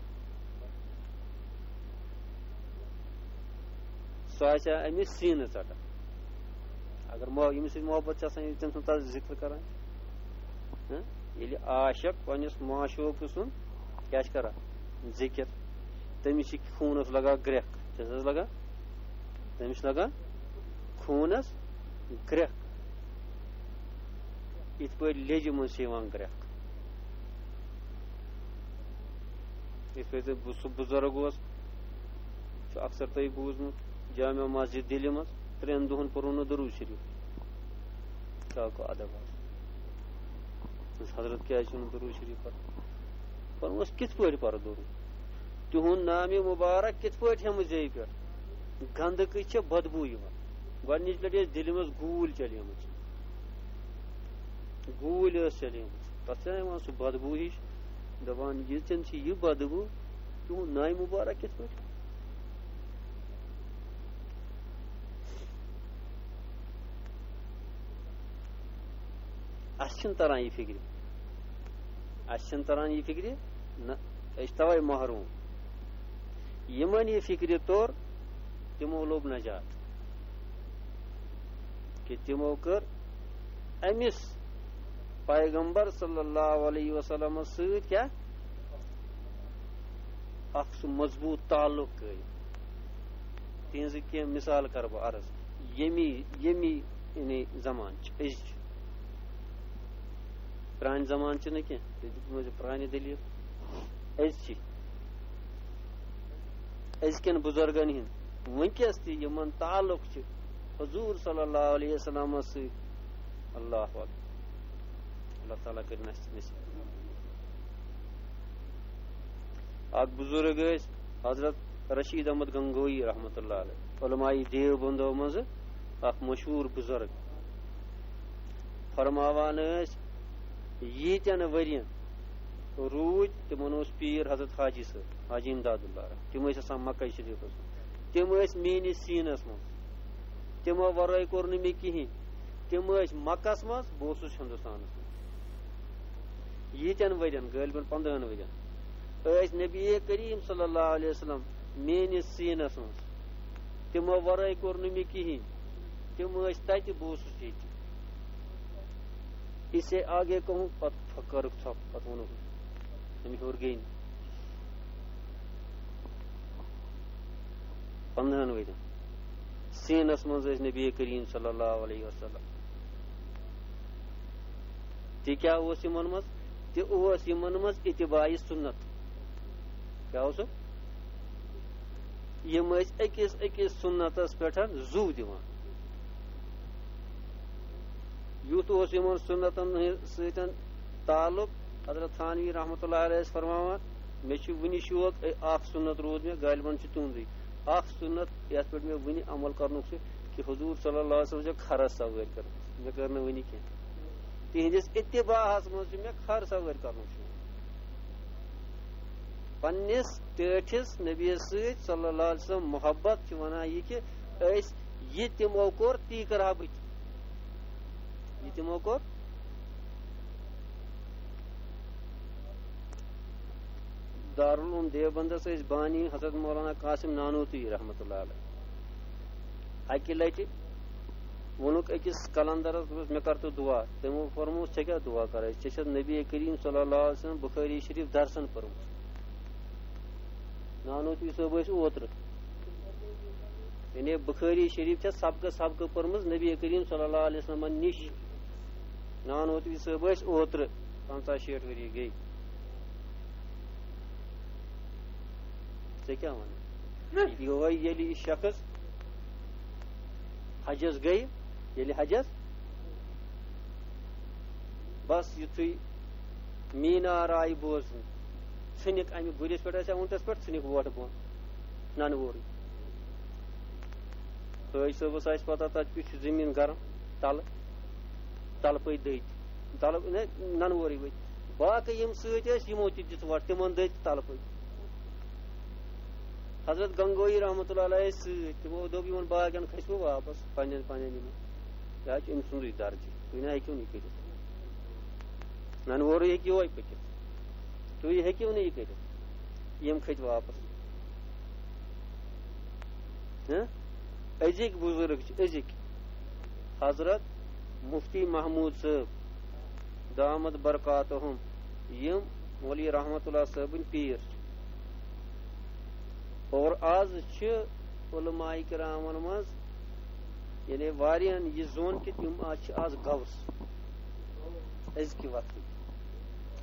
سُہ آسہِ ہا أمِس سیٖنہٕ ژَٹان۔ اگر مو-، ییٚمِس سۭتۍ محبت چھِ آسان، ییٚلہِ تٔمۍ سُنٛد تَتھ ذِکر کَران چھِ، ہہ؟ ییٚلہِ عاشق پنٛنِس معشوٗقہٕ سُنٛد کیٛاہ چھِ کَران؟ ذِکر، تٔمِس چھِ خوٗنَس لَگان گرٛٮ۪کھ۔ کیٛاہ چھِ حظ لَگان؟ تٔمِس چھِ لَگان خوٗنَس گرٛٮ۪کھ۔ یِتھ پٲٹھۍ لیٚجہِ منٛز چھِ یِوان گرٛٮ۪کھ۔ یِتھ پٲٹھۍ بُ-، سُہ بُزرگ اوس، چھُ اکثر تۄہہِ بوٗزمُت، جامع مسجد دِلہِ منٛز ترٛٮ۪ن دۄہَن پوٚرُن نہٕ دروٗد شریٖف۔ کیٛاہ گوٚو ادب آز؟ حضرت کیٛازِ چھُنہٕ دروٗد شریٖف پَران؟ فرموس، کِتھ پٲٹھۍ پَرٕ دروٗد؟ تِہُنٛد نامِ مُبارک کِتھ پٲٹھۍ ہٮ۪مہٕ زیٚوِ پٮ۪ٹھ؟ گنٛدٕ کٔژ چھےٚ بدبوٗ یِوان۔ گۄڈٕنِچ لَٹہِ ٲس دِلہِ منٛز گوٗلۍ چَلیمٕژ۔ گوٗلۍ ٲس چَلیمٕژ۔ تَتھ چھَنہ یِوان سُہ بدبوٗ ہِش۔ دَپان، ییٚتٮ۪ن چھِ یہِ بدبوٗ، تِہُنٛد نامِ مُبارک کِتھ پٲٹھۍ؟ اَسہِ چھِنہٕ تَران یہِ فِکرِ۔ اَسہِ چھِنہٕ تَران یہِ فِکرِ، نہ، أسۍ چھِ تَوَے محروٗم۔ یِمَن یہِ فِکرِ توٚر، تِمو لوٚب نجات۔ کہِ تِمو کٔر أمِس پیغمبر صلی اللہ علیہ وسلمس سۭتۍ کیٛاہ؟ اکھ سُہ مضبوٗط تعلق قٲیِم۔ تِہنٛزٕ کینٛہہ مثال کرٕ بہٕ عرض۔ ییٚمی، ییٚمی یعنی زمانہٕ چھِ، أزچہِ۔ پرٛانہِ زمانہٕ چھِ نہٕ کینٛہہ، تُہۍ دِتمو زِ پرٛانہِ دٔلیٖل۔ أزچہِ، أزکٮ۪ن بُزرگن ہِنٛد وٕنکیٚس تہِ یِمن تعلق چھِ حضوٗر صلی اللہ علیہ وسلمس سۭتۍ۔ اللہ اکبر۔ اللہ تعالیٰ کٔرِنۍ اَسہِ نصیٖب۔ اکھ بُزرگ ٲسۍ حضرت رشید احمد گنگوئی رحمتہ اللہ علیہ، علماء دیوبندو منٛزٕ اکھ مشہوٗر بُزرگ۔ فرماوان ٲسۍ، ییٖتٮ۪ن ؤرین روٗدۍ، تِمن اوس پیٖر حضرت حاجی صٲب، حاجی امداد اللہ۔ تِم ٲسۍ آسان مکہ شریٖفس منٛز۔ تِم ٲسۍ میٲنِس سیٖنس منٛز۔ تِمو ورٲے کوٚر نہٕ مےٚ کِہینۍ۔ تِم ٲسۍ مکس منٛز، بہٕ اوسُس ہندوستانس منٛز۔ ییٖتٮ۪ن ؤرین، غٲلبن پندہن ؤرین، ٲسۍ نبی کریم صلی اللہ علیہ وسلم میٲنِس سیٖنس منٛز۔ تِمو ورٲے کوٚر نہٕ مےٚ کِہینۍ۔ تِم ٲسۍ تتہِ، بہٕ اوسُس ییٚتہِ۔ اسے آگے کہوں، پتہٕ کٔرٕکھ ژھۄپہٕ، پتہٕ ووٚنُکھ، أمۍ ہیوٚر گٔے نہٕ۔ پندہن ؤرین سیٖنس منٛز ٲسۍ نبی کریم صلی اللہ علیہ وسلم۔ تہِ کیٛاہ اوس یِمن منٛز؟ تہِ اوس یِمن منٛز اتباع سُنت۔ کیٛاہ اوس؟ یِم ٲسۍ أکِس أکِس سُنتس پٮ۪ٹھ زُو دِوان۔ یُتھ اوس یِمن سُنتن ہٕنٛدۍ سۭتۍ تعلق۔ حضرت تھانوی رحمتہ اللہ علیہ ٲسۍ فرماوان، مےٚ چھُ وُنہِ شوق، اے، اکھ سُنت روٗد مےٚ، غالباً چھُ تُہُنٛدُے۔ اکھ سُنت یتھ پٮ۪ٹھ مےٚ وُنہِ عمل کرنُک چھُ، کہِ حضوٗر صلی اللہ علیہ وسلم چھےٚ کھرس سوٲرۍ کٔرمٕژ، مےٚ کٔر نہٕ وُنہِ کینٛہہ۔ تِہنٛدِس اتباعس منٛز چھُ مےٚ کھر سوٲرۍ کرنُک شوق۔ پننِس ٹٲٹھِس نبی سۭتۍ صلی اللہ علیہ وسلم محبت چھِ ونان یہِ کہِ أسۍ، یہِ تِمو کوٚر، تی کرٕ ہا بہٕ تہِ۔ یہِ تِمو کوٚر۔ دارالعلوم دیوبندس ٲسۍ بانی حضرت مولانا قاسم نانوتوی رحمتہ اللہ علیہ۔ اکہِ لٹہِ ووٚنُکھ أکِس قلندرس، دوٚپُس، مےٚ کر تہٕ دُعا۔ تٔمۍ فرموو، ژےٚ کیٛاہ دُعا کرے؟ ژےٚ چھَتھ نبی کریم صلی اللہ علیہ وسلم بخاری شریف درسن پٔرمٕژ۔ نانوتوی صٲب ٲسۍ اوترٕ۔ یعنی بخاری شریف چھےٚ سبقہٕ سبقہٕ پٔرمٕژ نبی کریم صلی اللہ علیہ وسلمن نِش۔ نانوتوی صٲب ٲسۍ اوترٕ، پنٛژاہ شیٹھ ؤری گٔے۔ ژےٚ کیٛاہ وَنہٕ؟ یِہوٚے ییٚلہِ یہِ شخص حجس گٔیہِ، ییٚلہِ حجس، بس یُتھُے مینار آیہِ بوزنہٕ، ژھٕنِکھ اَمہِ گُرِس پٮ۪ٹھ ٲسۍ اونٹس پٮ۪ٹھ، ژھٕنِکھ ووٹہٕ بۄن نَنہٕ وورٕے۔ حٲج صٲبس آسہِ پتہ، تتہِ کیُتھ چھُ زٔمیٖن گرم، تلہٕ، تلہٕ پٔتۍ دٔدۍ، تلہٕ، نہ، نَنہٕ وورٕے ؤتھۍ۔ باقٕے یِم سۭتۍ ٲسۍ، یِمو تہِ دِژ وۄٹھ، تِمن دٔدۍ تلہٕ پٔتۍ۔ حضرت گنگوئی رحمتہ اللہ علیہ ٲسۍ سۭتۍ، تِمو دوٚپ، یِمن باقین کھسہِ وۄنۍ واپس پننٮ۪ن پننٮ۪ن یِمن۔ یہِ حظ چھُ أمۍ سُنٛدُے درجہٕ۔ تُہۍ نہ ہیٚکِو نہٕ یہِ کٔرِتھ۔ نَنہٕ وورُے ہیٚکہِ یِہوٚے پٔکِتھ۔ تُہۍ ہیٚکِو نہٕ یہِ کٔرِتھ۔ یِم کھٔتۍ واپس۔ ہہ؟ أزِکۍ بُزرگ چھِ، أزِکۍ۔ حضرت مفتی محمود صٲب، دامت برکاتہم، یِم مولوی رحمت اللہ صٲبٕنۍ پیٖر چھِ۔ اور آز چھِ علماء کرامن منٛز، یعنی واریاہن یہِ زون کہِ تِم آز چھِ آز غوث أزکہِ وقتٕکۍ۔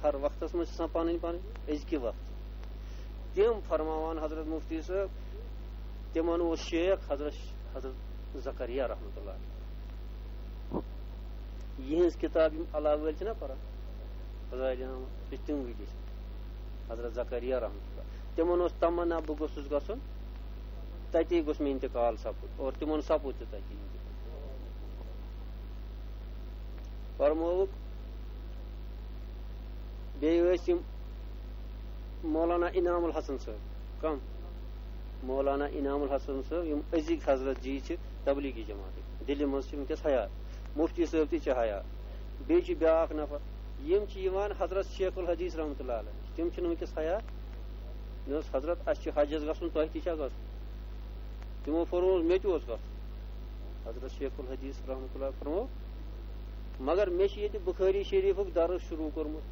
ہر وقتس منٛز چھِ آسان پنٕنۍ پنٕنۍ أزکہِ وقتہٕ۔ تِم فرماوان حضرت مفتی صٲب، تِمن اوس شیخ حضرت، حضرت زکریا رحمتہ اللہ علیہ۔ یِہٕنٛز کِتاب یِم علاوٕ وٲلۍ چھِنہ پران، فضائل انعام، یہِ چھِ تِم وٕنکیٚس حضرت زکریا رحمتہ اللہ۔ تِمن اوس تمنا، بہٕ گوٚژھُس گژھُن، تَتی گوٚژھ مےٚ انتقال سپُد، اور تِمن سپُد تہِ تَتی انتقال۔ فرمووُکھ، بیٚیہِ ٲسۍ یِم مولانا انعام الحسن صٲب۔ کم؟ مولانا انعام الحسن صٲب، یِم أزِکۍ حضرت جی چھِ تبلیغی جماعتٕکۍ، دِلہِ منٛز چھِ وٕنکیٚس حیات، مفتی صٲب تہِ چھِ حیات۔ بیٚیہِ چھِ بیٛاکھ نفر، یِم چھِ یِوان حضرت شیخ الحدیث رحمتہ اللہ علیہ، تِم چھِنہٕ وٕنکیٚس حیات۔ مےٚ اوس، "حضرت، اَسہِ چھُ حجس گژھُن، تۄہہِ تہِ چھا گژھُن؟" تِمو فرموو، "مےٚ تہِ اوس گژھُن۔" حضرت شیخ الحدیث رحمتہ اللہ فرموو، "مگر مےٚ چھُ ییٚتہِ بخاری شریفُک درس شروع کوٚرمُت،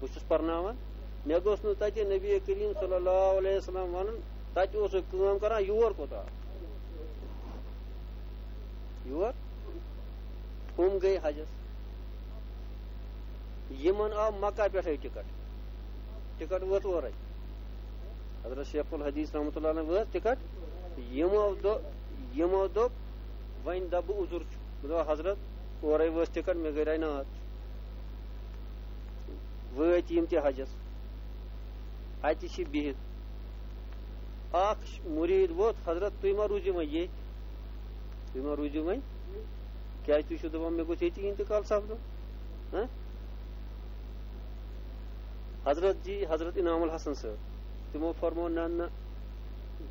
بہٕ چھُس پرناوان، مےٚ گوٚژھ نہٕ تَتہِ نبی کریم صلی اللہ علیہ وسلم وَنُن، تَتہِ اوسُکھ کٲم کران، یور کوٚت آو؟" یور؟ ہُم گٔے حجس۔ یِمن آو مکہ پٮ۪ٹھے ٹکٹ۔ ٹکٹ وٲژ اورے۔ حضرت شیخ الحدیث رحمتہ اللہ علیہ وٲژ ٹکٹ۔ یِمو دو-، یِمو دوٚپ، "وۄنۍ دَپہٕ بہٕ عذر چھُ۔" مےٚ دوٚپ، "حضرت، اورے وٲژ ٹکٹ، مےٚ گٔے ناد۔" وٲتۍ یِم تہِ حجس۔ اَتہِ چھِ بِہِتھ۔ اکھ مرید ووت، "حضرت، تُہۍ ما روٗزِو وۄنۍ ییٚتہِ؟ تُہۍ ما روٗزِو وۄنۍ؟ کیٛازِ تُہۍ چھِو دَپان مےٚ گوٚژھ ییٚتی انتقال سپدُن؟ ہہ؟" حضرت جی، حضرت انعام الحسن صٲب، تِمو فرموو، "نہ، نہ،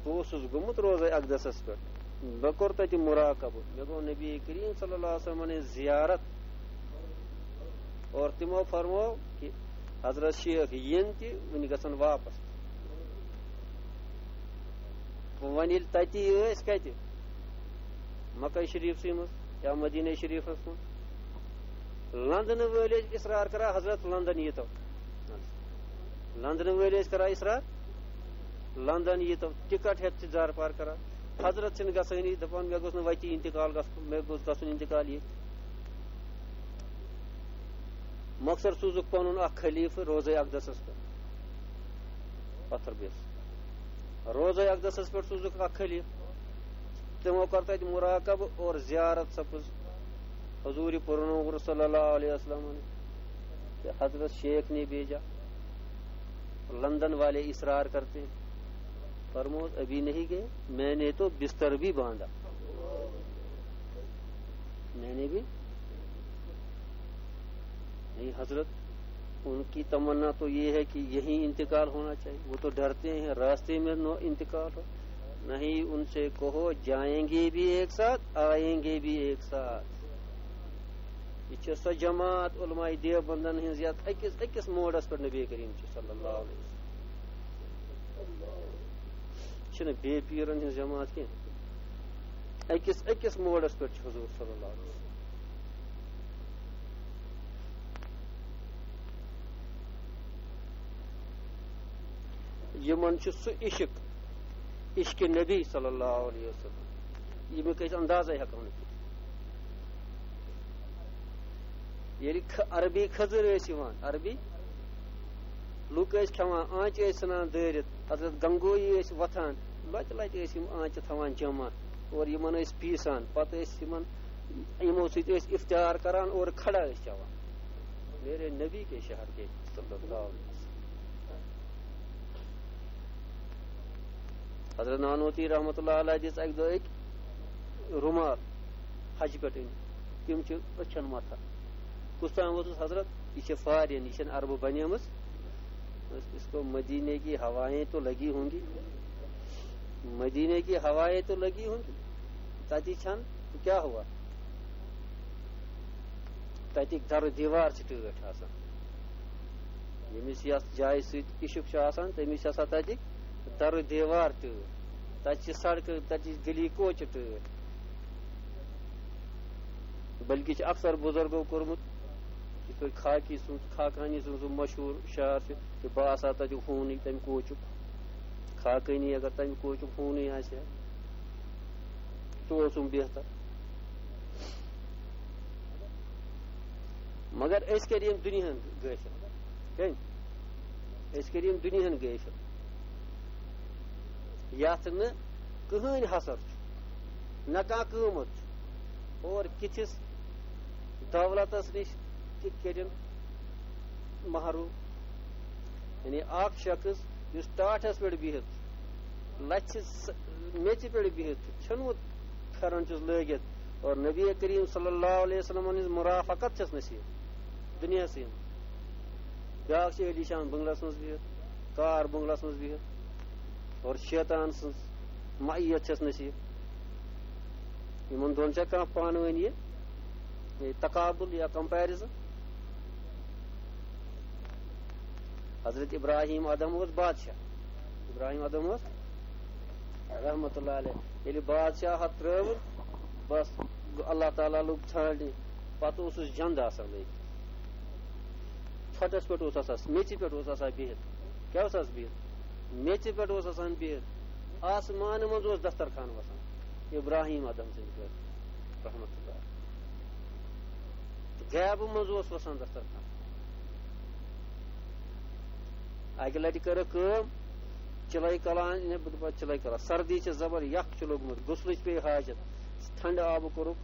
بہٕ اوسُس گوٚمُت روزے اقدسس پٮ۪ٹھ، مےٚ کوٚر تَتہِ مراقبہٕ، مےٚ گوٚو نبی کریم صلی اللہ علیہ وسلمن ہٕنٛز زیارت۔" اور تِمو فرموو کہِ حضرت شیخ یِن تہِ وٕنہِ گژھن واپس۔ وۄنۍ ییٚلہِ تَتی ٲسۍ کَتہِ؟ مکہ شریفسٕے منٛز یا مدینہ شریفس منٛز۔ لندنہٕ وٲلۍ ٲسۍ اصرار کران، "حضرت، لندن ییٖتو۔" لندنہٕ وٲلۍ ٲسۍ کران اصرار، "لندن ییٖتو۔" ٹکٹ ہٮ۪تھ چھِ زارٕ پار کران۔ حضرت چھِنہٕ گژھٲنی، دَپان، "مےٚ گوٚژھ نہٕ وَتی انتقال گژھُن، مےٚ گوٚژھ گژھُن انتقال ییٚتہِ۔" مۄخصر سوٗزُکھ پنُن اکھ خلیفہٕ روزے اقدسس پٮ۪ٹھ، پتھر بیس۔ روزے اقدسس پٮ۪ٹھ سوٗزُکھ اکھ خلیفہٕ۔ تِمو کٔر تَتہِ مراقبہٕ اور زیارت سپٕز حضور پُرنوٗر صلی اللہ علیہ وسلم کہ حضرت شیخ نے بھیجا، لندن والے اصرار کرتے ہیں۔ فرمود، "ابھی نہیں گئے، میں نے تو بستر بھی باندھا۔" میں نے بھی نہیں، حضرت، ان کی تمنا تو یہ ہے کہ یہیں انتقال ہونا چاہیے۔ وہ تو ڈرتے ہیں راستے میں نو انتقال ہو۔ نہیں، ان سے کہو، جائیں گے بھی ایک ساتھ، آئیں گے بھی ایک ساتھ۔ یہ چھِ سۄ جماعت علماء دیوبندن ہٕنٛز، یتھ أکِس، أکِس موڈس پٮ۪ٹھ نبی کریم چھُ صلی اللہ علیہ وسلم۔ چھِنہٕ بے پیٖرن ہٕنٛز جماعت کینٛہہ۔ أکِس، أکِس موڈس پٮ۪ٹھ چھُ حضور صلی اللہ علیہ وسلم۔ یِمن چھُ سُہ عشق، عشق نبی صلی اللہ علیہ وسلم، ییٚمیُک أسۍ اندازے ہٮ۪کو نہٕ کٔرِتھ۔ ییٚلہِ کھ-، عربی کھٔزٕر ٲسۍ یِوان، عربی لُکھ ٲسۍ کھٮ۪وان، آنٛچہِ ٲسۍ ژھٕنان دٲرِتھ، حضرت گنگویی ٲسۍ وۄتھان، لۄتہِ لۄتہِ ٲسۍ یِم آنٛچہِ تھاوان جمع اور یِمن ٲسۍ پیٖسان، پتہٕ ٲسۍ یِمن، یِمو سۭتۍ ٲسۍ افطار کران اور کھڑا ٲسۍ چٮ۪وان۔ میرے نبی کے شہر کے صلی اللہ علیہ وسلم۔ حضرت نانوتی رحمتہ اللہ علیہ دِژ اکہِ دۄہ أکۍ رومال حجہِ پٮ۪ٹھ أنۍ، تِم چھِ أچھن متھان۔ کُس تام ووتُس، "حضرت، یہِ چھِ فارین، یہِ چھَنہٕ عربہٕ بنیمٕژ، اس، اس کو مدینے کی ہوائیں تو لگی ہوں گی، مدینے کی ہوائیں تو لگی ہوں گی، تَتہِ چھَنہٕ، تو کیا ہوا؟" تَتِکۍ دَرٕ دیوار چھِ ٹٲٹھۍ آسان۔ ییٚمِس یَتھ جایہِ سۭتۍ عشق چھُ آسان، تٔمِس چھِ آسان تَتِکۍ دَرٕ دیوار ٹٲٹھۍ۔ تَتہِ چھِ سڑکہٕ، تَتہِ چھِ گلی کوچہِ ٹٲٹھۍ۔ بلکہِ چھِ اکثر بُزرگو کوٚرمُت، یِتھ پٲٹھۍ خاکی سُنٛد، خاقانی سُنٛد سُہ مشہوٗر شعر چھُ، کہِ بہٕ آسہٕ ہا تَتیُک ہوٗنٕے تَمہِ کوچُک۔ خاقٲنی اگر تَمہِ کوچُک ہوٗنٕے آسہِ ہا، سُہ اوسُم بہتر۔ مگر أسۍ کٔرۍ ییٚمہِ دُنیاہن غٲفِل۔ کٔمۍ؟ أسۍ کٔرۍ ییٚمہِ دُنیاہن غٲفِل، یَتھ نہٕ کٕہٕنۍ حصر چھُ، نہ کانٛہہ قۭمت چھُ۔ اور کِتھِس دولتس نِش تہِ کٔرِن محروٗم۔ یعنی اکھ شخص یُس ٹاٹھس پٮ۪ٹھ بِہِتھ، لژھِ س-، میٚژِ پٮ۪ٹھ بِہِتھ، ژھیوٚنمُت پھٮ۪رن چھُس لٲگِتھ، اور نبی کریم صلی اللہ علیہ وسلم ہٕنٛز مرافقت چھَس نصیب دُنیاہسٕے منٛز۔ بیٛاکھ چھُ عٲلی شان بنگلس منٛز بِہِتھ، کار بنگلس منٛز بِہِتھ، اور شیطان سٕنٛز معیت چھَس نصیب۔ یِمن دۄن چھا کانٛہہ پانہٕ ؤنۍ یہِ، یہِ تقابل یا comparison؟ حضرت ابراہیم ادہم اوس بادشاہ۔ ابراہیم ادہم اوس رحمت اللہ علیہ۔ ییٚلہِ بادشاہت ترٲوٕن، بس، گوٚو اللہ تعالیٰ لوٚگ ژھانٛڈنہِ۔ پتہٕ اوسُس جنٛد آسان لٲگِتھ۔ ژھۄٹس پٮ۪ٹھ اوس آسان، میٚژِ پٮ۪ٹھ اوس آسان بِہِتھ۔ کیٛاہ اوس آسان بِہِتھ؟ میٚژِ پٮ۪ٹھ اوس آسان بِہِتھ۔ آسمانہٕ منٛز اوس دسترخوان وسان ابراہیم ادہم سٕنٛدِ خٲطرٕ، رحمت اللہ۔ غیبہٕ منٛز اوس وسان دسترخوان۔ اکہِ لٹہِ کٔرٕکھ کٲم، چِلے کلان، نہ، بہٕ دپہٕ چِلے کلان، سردی چھِ زبر، یخ چھُ لوٚگمُت، غسلٕچ پیٚیہِ حاجت، ٹھنڈٕ آبہٕ کوٚرُکھ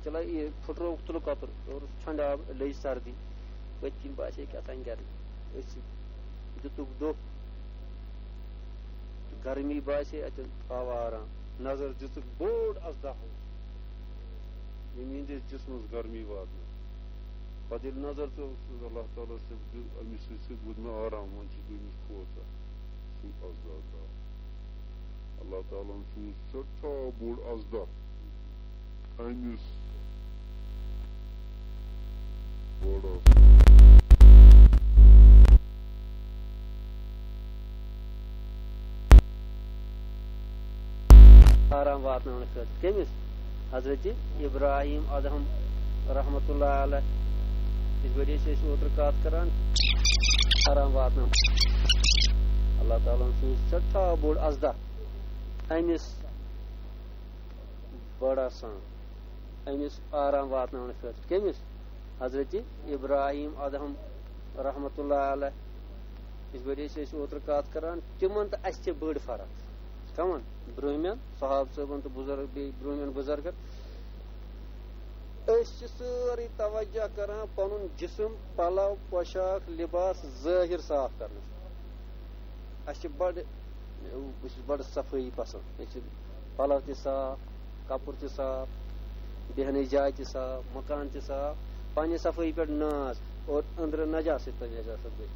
چِلے، یہِ پھُٹرووُکھ تُلہٕ کۄپُر، کوٚرُس ٹھنڈٕ آبہٕ، لٔج سردی، پٔتۍ کِنۍ باسے کیٛاہ تام گرمی، أتھۍ سۭتۍ دِتُکھ دۄہ، گرمی باسے، اتٮ۪ن آو آرام، نظر دِژٕکھ بوٚڑ اژدہ اوس، ییٚمۍ یِہنٛدِس جسمس گرمی واتنٲو۔ پتہٕ ییٚلہِ نظر ژٔج، اوس اللہ تعالیٰ ہس، تٔمۍ دیُت أمِس سۭتۍ سۭتۍ ووت مےٚ آرام، وۄنۍ چھُس بہٕ أمِس کھوژان۔ سُہ اژدہ درٛاو۔ اللہ تعالیٰ ہن سوٗز سٮ۪ٹھاہ بوٚڑ اژدہ أمِس بوٚڑ اژدہ۔ آرام واتناونہٕ خٲطرٕ۔ کٔمِس؟ حضرت ابراہیم ادہم رحمت اللہ علیہ۔ یِتھ پٲٹھۍ أسۍ ٲسۍ اوترٕ کتھ کران، آرام واتناو۔ اللہ تعالیٰ ہن سوٗز سٮ۪ٹھاہ بوٚڑ اژدہ أمِس، بڑٕ آسان، أمِس آرام واتناونہٕ خٲطرٕ۔ کٔمِس؟ حضرت ابراہیم ادہم رحمت اللہ علیہ۔ یِتھ پٲٹھۍ أسۍ ٲسۍ اوترٕ کتھ کران، تِمن تہٕ اسہِ چھِ بٔڑ فرق۔ کمن؟ برٛونٛہمٮ۪ن صحابہٕ صٲبن تہٕ بُزرگ، بیٚیہِ برٛونٛہمٮ۪ن بُزرگن۔ أسۍ چھِ سٲرٕے توجہ کران پنُن جسم، پلو، پوشاک، لباس، ظٲہر صاف کرنس۔ اسہِ چھِ بڑٕ، بہٕ چھُس بڑٕ صفٲیی پسند۔ مےٚ چھِ پلو تہِ صاف، کپُر تہِ صاف، بیہنٕچ جاے تہِ صاف، مکان تہِ صاف، پننہِ صفٲیی پٮ۪ٹھ ناز اور أنٛدرٕ نجاست تہٕ نجاست گٔے۔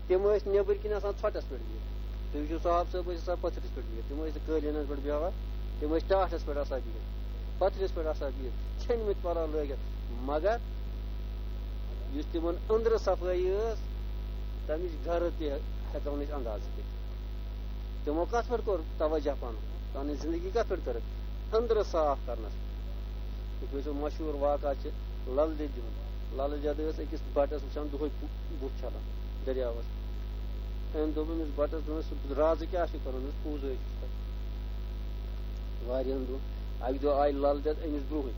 تِم ٲسۍ نیٚبٕرۍ کِنۍ آسان ژھۄٹس پٮ۪ٹھ بِہِتھ۔ تُہۍ وٕچھِو صاحب صٲب ٲسۍ آسان پٔتھرِس پٮ۪ٹھ بِہِتھ، تِم ٲسۍ نہٕ قٲلیٖنس پٮ۪ٹھ بیٚہوان، تِم ٲسۍ ٹاٹھس پٮ۪ٹھ آسان بِہِتھ، پٔتھرِس پٮ۪ٹھ آسان بِہِتھ، ژھیٚنمٕتۍ پلو لٲگِتھ۔ مگر یُس تِمن أنٛدرٕ صفٲیی ٲس، تمِچ گرٕ تہِ ہٮ۪کو نہٕ أسۍ اندازٕ کٔرِتھ۔ تِمو کتھ پٮ۪ٹھ کوٚر توجہ پنُن؟ پنٕنۍ زندگی کتھ پٮ۪ٹھ کٔرٕکھ؟ أنٛدرٕ صاف کرنس پٮ۪ٹھ۔ یِتھ پٲٹھۍ سُہ مشہوٗر واقعہ چھِ لل دٮ۪دِ ہُنٛد۔ لل دٮ۪د ٲس أکِس بٹس وٕچھان دۄہے بُ-، بُتھ چھلان دٔریاوس۔ أمۍ دوٚپ أمِس بٹس، دوٚپمس، "رازٕ کیٛاہ چھُ کران؟" دوٚپمس، "پوٗزٕ حظ چھُس کران۔" واریاہن دۄہن۔ اکہِ دۄہ آیہِ لل دٮ۪د أمِس برونٛہٕے۔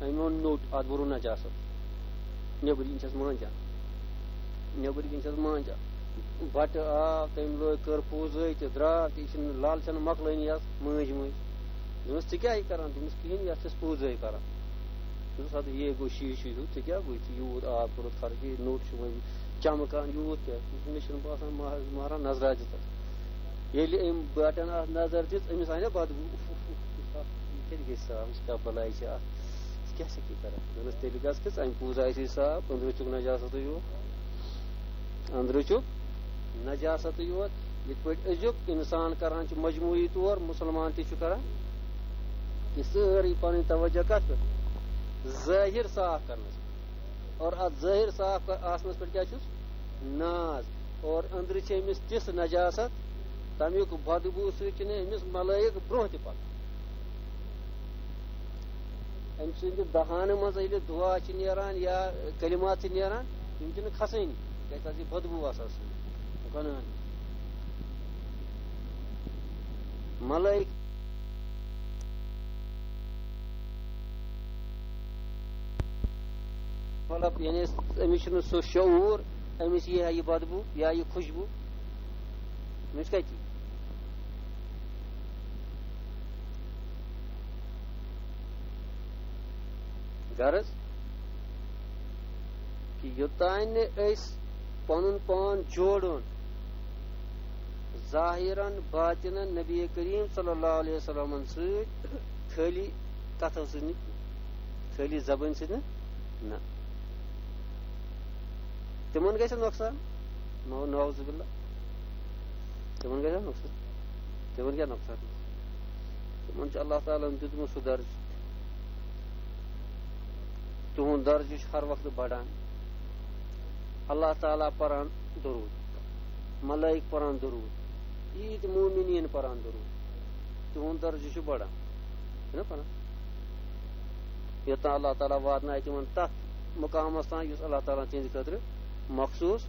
أمۍ اوٚن نوٚٹ، اتھ بوٚرُن نجاست۔ نیٚبٕرۍ کِنۍ چھَس مانجان۔ نیٚبٕرۍ کِنۍ چھَس مانجان۔ بَٹہٕ آو، تٔمۍ لٲج، کٔر پوٗزٲے تہِ، درٛاو تہِ، یہِ چھِنہٕ، لَل چھَنہٕ مۄکلٲنی اَتھ مٲنٛزِ مٲنٛزِ۔ دوٚپمَس، "ژٕ کیٛاہ یہِ کَران؟" دوٚپمَس، "کِہیٖنۍ، یَتھ چھَس پوٗزٲے کَران۔" دوٚپمَس، "اَدٕ یے گوٚو شیٖشہٕ ہیوٗ، ژےٚ کیٛاہ گوٚو؟ ژےٚ یوٗت آب کوٚرُتھ خرٕچ، یہِ نوٚٹ چھُ وۄنۍ چَمکان یوٗت کیٛاہ؟" دوٚپمَس، "مےٚ چھُنہٕ باسان مہراز، مہراز نظرِ آسہِ دِژمٕژ۔" ییٚلہِ أمۍ بَٹَن اَتھ نظر دِژ، أمِس آیہِ نا بدبو، "اُف، اُف، اُف، اُف، اَتھ یہِ کَتہِ گژھِ صاف؟ یہِ چھِ کیٛاہ بَلاے چھِ اَتھ؟ یہِ کیٛاہ چھِ یہِ کَران؟" دوٚپمَس، "تیٚلہِ گژھ کہِ ژَمہِ پوٗزٕ آسہِ صاف، أنٛدرٕ چھُکھ نجاستٕے یوت۔ أنٛدرٕ چھُکھ نجاستٕے یوت۔" یِتھ پٲٹھۍ أزیُک اِنسان کَران چھُ مجموعی طور، مُسلمان تہِ چھُ کَران، یہِ سٲرٕے پَنٕنۍ توجہ کَتھ پٮ۪ٹھ؟ ظٲہِر صاف کرنس۔ اور اتھ ظٲہِر صاف کر-، آسنس پٮ۪ٹھ کیٛاہ چھُس؟ ناز۔ اور أنٛدرٕ چھِ أمِس تِژھ نجاست، تمیُک بدبوٗ سۭتۍ چھِنہٕ أمِس ملٲیِک برٛونٛہہ تہِ پکان۔ أمۍ سٕنٛدِ دہانہٕ منٛز ییٚلہِ دُعا چھِ نیران یا کلمات چھِ نیران، تِم چھِنہٕ کھسٲنی، کیٛازِ تَتھ چھِ بدبوٗ آسان سۭتۍ۔ گۄناہن۔ ملٲیِک، مطلب، یعنی أمِس چھُنہٕ سُہ شعوٗر، أمِس یی ہا یہِ بدبوٗ یا یہِ خوشبوٗ، أمِس کَتہِ یی؟ غرض کہِ یوٚتانۍ نہٕ أسۍ پنُن پان جوڑُن ظاہرن باطنن نبی کریم صلی اللہ علیہ وسلمن سۭتۍ، خٲلی کتھو سۭتۍ نہٕ، خٲلی زبٲنۍ سۭتۍ نہٕ، نہ۔ تِمن گژھِ نۄقصان، نعو-، نعوذ باللہ۔ تِمن گژھِ نۄقصان۔ تِمن کیٛاہ نۄقصان؟ تِمن چھُ اللہ تعالیٰ ہن دیُتمُت سُہ درجہٕ۔ تِہُنٛد درجہٕ چھُ ہر وقتہٕ بڑان۔ اللہ تعالیٰ پران درود، ملائک پران درود، عیٖد مومنیٖن پران درود، تِہُنٛد درجہٕ چھُ بڑان۔ چھُنہ پران؟ یوٚتام اللہ تعالیٰ واتنایہِ تِمن تتھ مقامس تام، یُس اللہ تعالیٰ ہن تِہنٛدِ خٲطرٕ مخصوٗص۔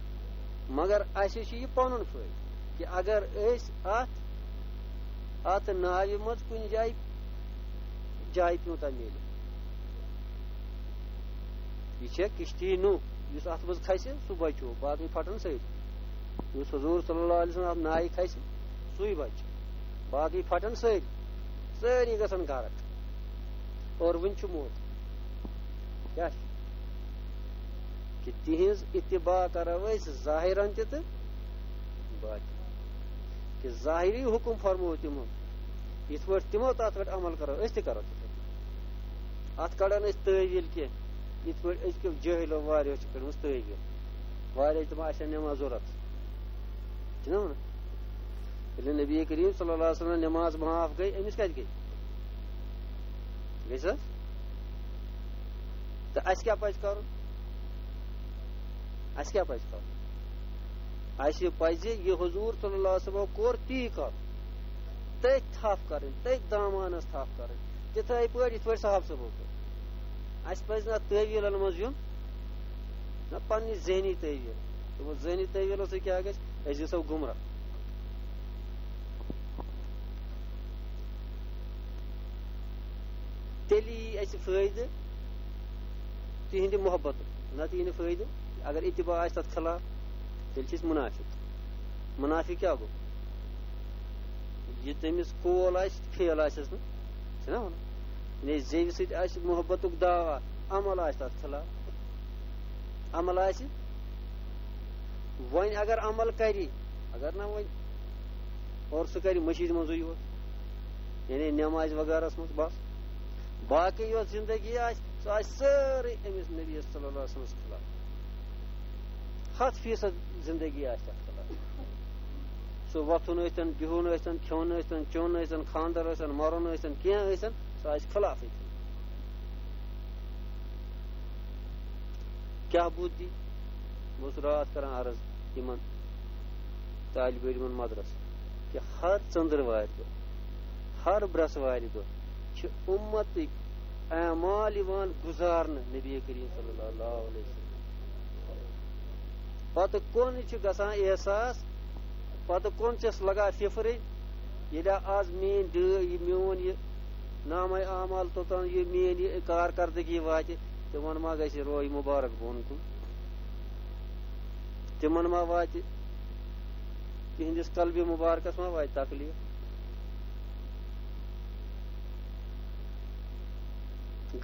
مگر اسہِ چھُ یہِ پنُن فٲیدٕ کہِ اگر أسۍ اتھ، اتھ ناوِ منٛز کُنہِ جایہِ جاے پیوٗنٛتاہ میلہِ، یہِ چھےٚ کشتی نوح، یُس اتھ منٛز کھسہِ، سُہ بچو، باقٕے پھٹن سٲری۔ یُس حضور صلی اللہ علیہ وسلم اتھ نایہِ کھسہِ، سُے بچہِ، باقٕے پھٹن سٲری، سٲری گژھن غرق۔ اور وُنہِ چھُ موقعہٕ۔ کیٛاہ چھُ؟ کہِ تِہنٛز اتباع کرو أسۍ ظاہرن تہِ تہٕ باطنن۔ کہِ ظاہری حکم فرموو تِمو، یِتھ پٲٹھۍ تِمو تتھ پٮ۪ٹھ عمل کرو، أسۍ تہِ کرو تِتھے پٲٹھۍ۔ اتھ کڑن أسۍ تٲویٖل کینٛہہ، یِتھ پٲٹھۍ أزکیو جٲہلو واریاہو چھِ کٔڑمٕژ تٲویٖل۔ واریاہ چھِ دپان، اسہِ چھےٚ نٮ۪ماز ضروٗرت۔ چھِنہ ونان؟ ییٚلہِ نبی کریم صلی اللہ علیہ وسلم نٮ۪ماز معاف گٔے، أمِس کتہِ گٔے؟ گٔے سا؟ تہٕ اَسہِ کیٛاہ پَزِ کَرُن؟ اَسہِ کیٛاہ پَزِ کَرُن؟ اَسہِ پَزِ یہِ حضوٗر صلی اللہ علیہ وسلمو کوٚر، تی کَرُن۔ تٔتھۍ تھپھ کَرٕنۍ، تٔتھۍ دامانَس تھپھ کَرٕنۍ، تِتھَے پٲٹھۍ، یِتھ پٲٹھۍ صحابہٕ صٲبو کوٚر۔ اَسہِ پَزِ نہٕ اَتھ تٲویٖلَن منٛز یُن، نہ پننہِ ذہنی تعبیر۔ دوٚپُن، ذہنی تعبیرو سۭتۍ کیٛاہ گژھِ؟ أسۍ گژھو گمراہ۔ تیٚلہِ یی اَسہِ فٲیدٕ تِہنٛدِ محبتُک، نتہٕ یی نہٕ فٲیدٕ۔ اگر اتباع آسہِ تتھ خلاف، تیٚلہِ چھِ أسۍ منافق۔ منافق کیٛاہ گوٚو؟ یہِ تٔمِس قول آسہِ، فعل آسٮ۪س نہٕ، چھِنہ ونان؟ یعنی زیوِ سۭتۍ آسہِ محبتُک دعویٰ، عمل آسہِ تتھ خلاف۔ عمل آسہِ، وۄنۍ اگر عمل کرِ، اگر نہ وۄنۍ، اور سُہ کرِ مٔشیٖد منٛزٕے یوت، یعنی نٮ۪مازِ وغٲرس منٛز بس۔ باقٕے یۄس زندگی آسہِ، سۄ آسہِ سٲرٕے أمِس نبی صلی اللہ علیہ وسلمس خلاف۔ ہتھ فیصد زندگی آسہِ تتھ خلاف۔ سُہ وۄتھُن ٲسۍتن، بِہُن ٲسۍتن، کھیوٚن ٲسۍتن، چیوٚن ٲسۍتن، خانٛدر ٲسۍتن، مرُن ٲسۍتن، کینٛہہ ٲسۍتن، سُہ آسہِ خلافٕے۔ کیٛاہ بُدھ دی؟ بہٕ اوسُس راتھ کران عرض یِمن طالب علمن مدرس کہِ ہر ژٔنٛدٕروارِ دۄہ، ہر برٛٮ۪سوارِ دۄہ چھِ اُمتٕکۍ اعمال یِوان گُزارنہٕ نبی کریم صلی اللہ علیہ وسلم۔ پتہٕ کون چھُ گژھان احساس، پتہٕ کون چھَس لگان فِفرٕج، ییٚلہِ آز میٛٲنۍ ڈٲ-، یہِ میون یہِ نامہ اعمال توٚتام یہِ میٛٲنۍ یہِ کارکردگی واتہِ، تِمن ما گژھِ روے مبارک بۄن کُن؟ تِمن ما واتہِ، تِہنٛدِس قلبِ مبارکس ما واتہِ تکلیف؟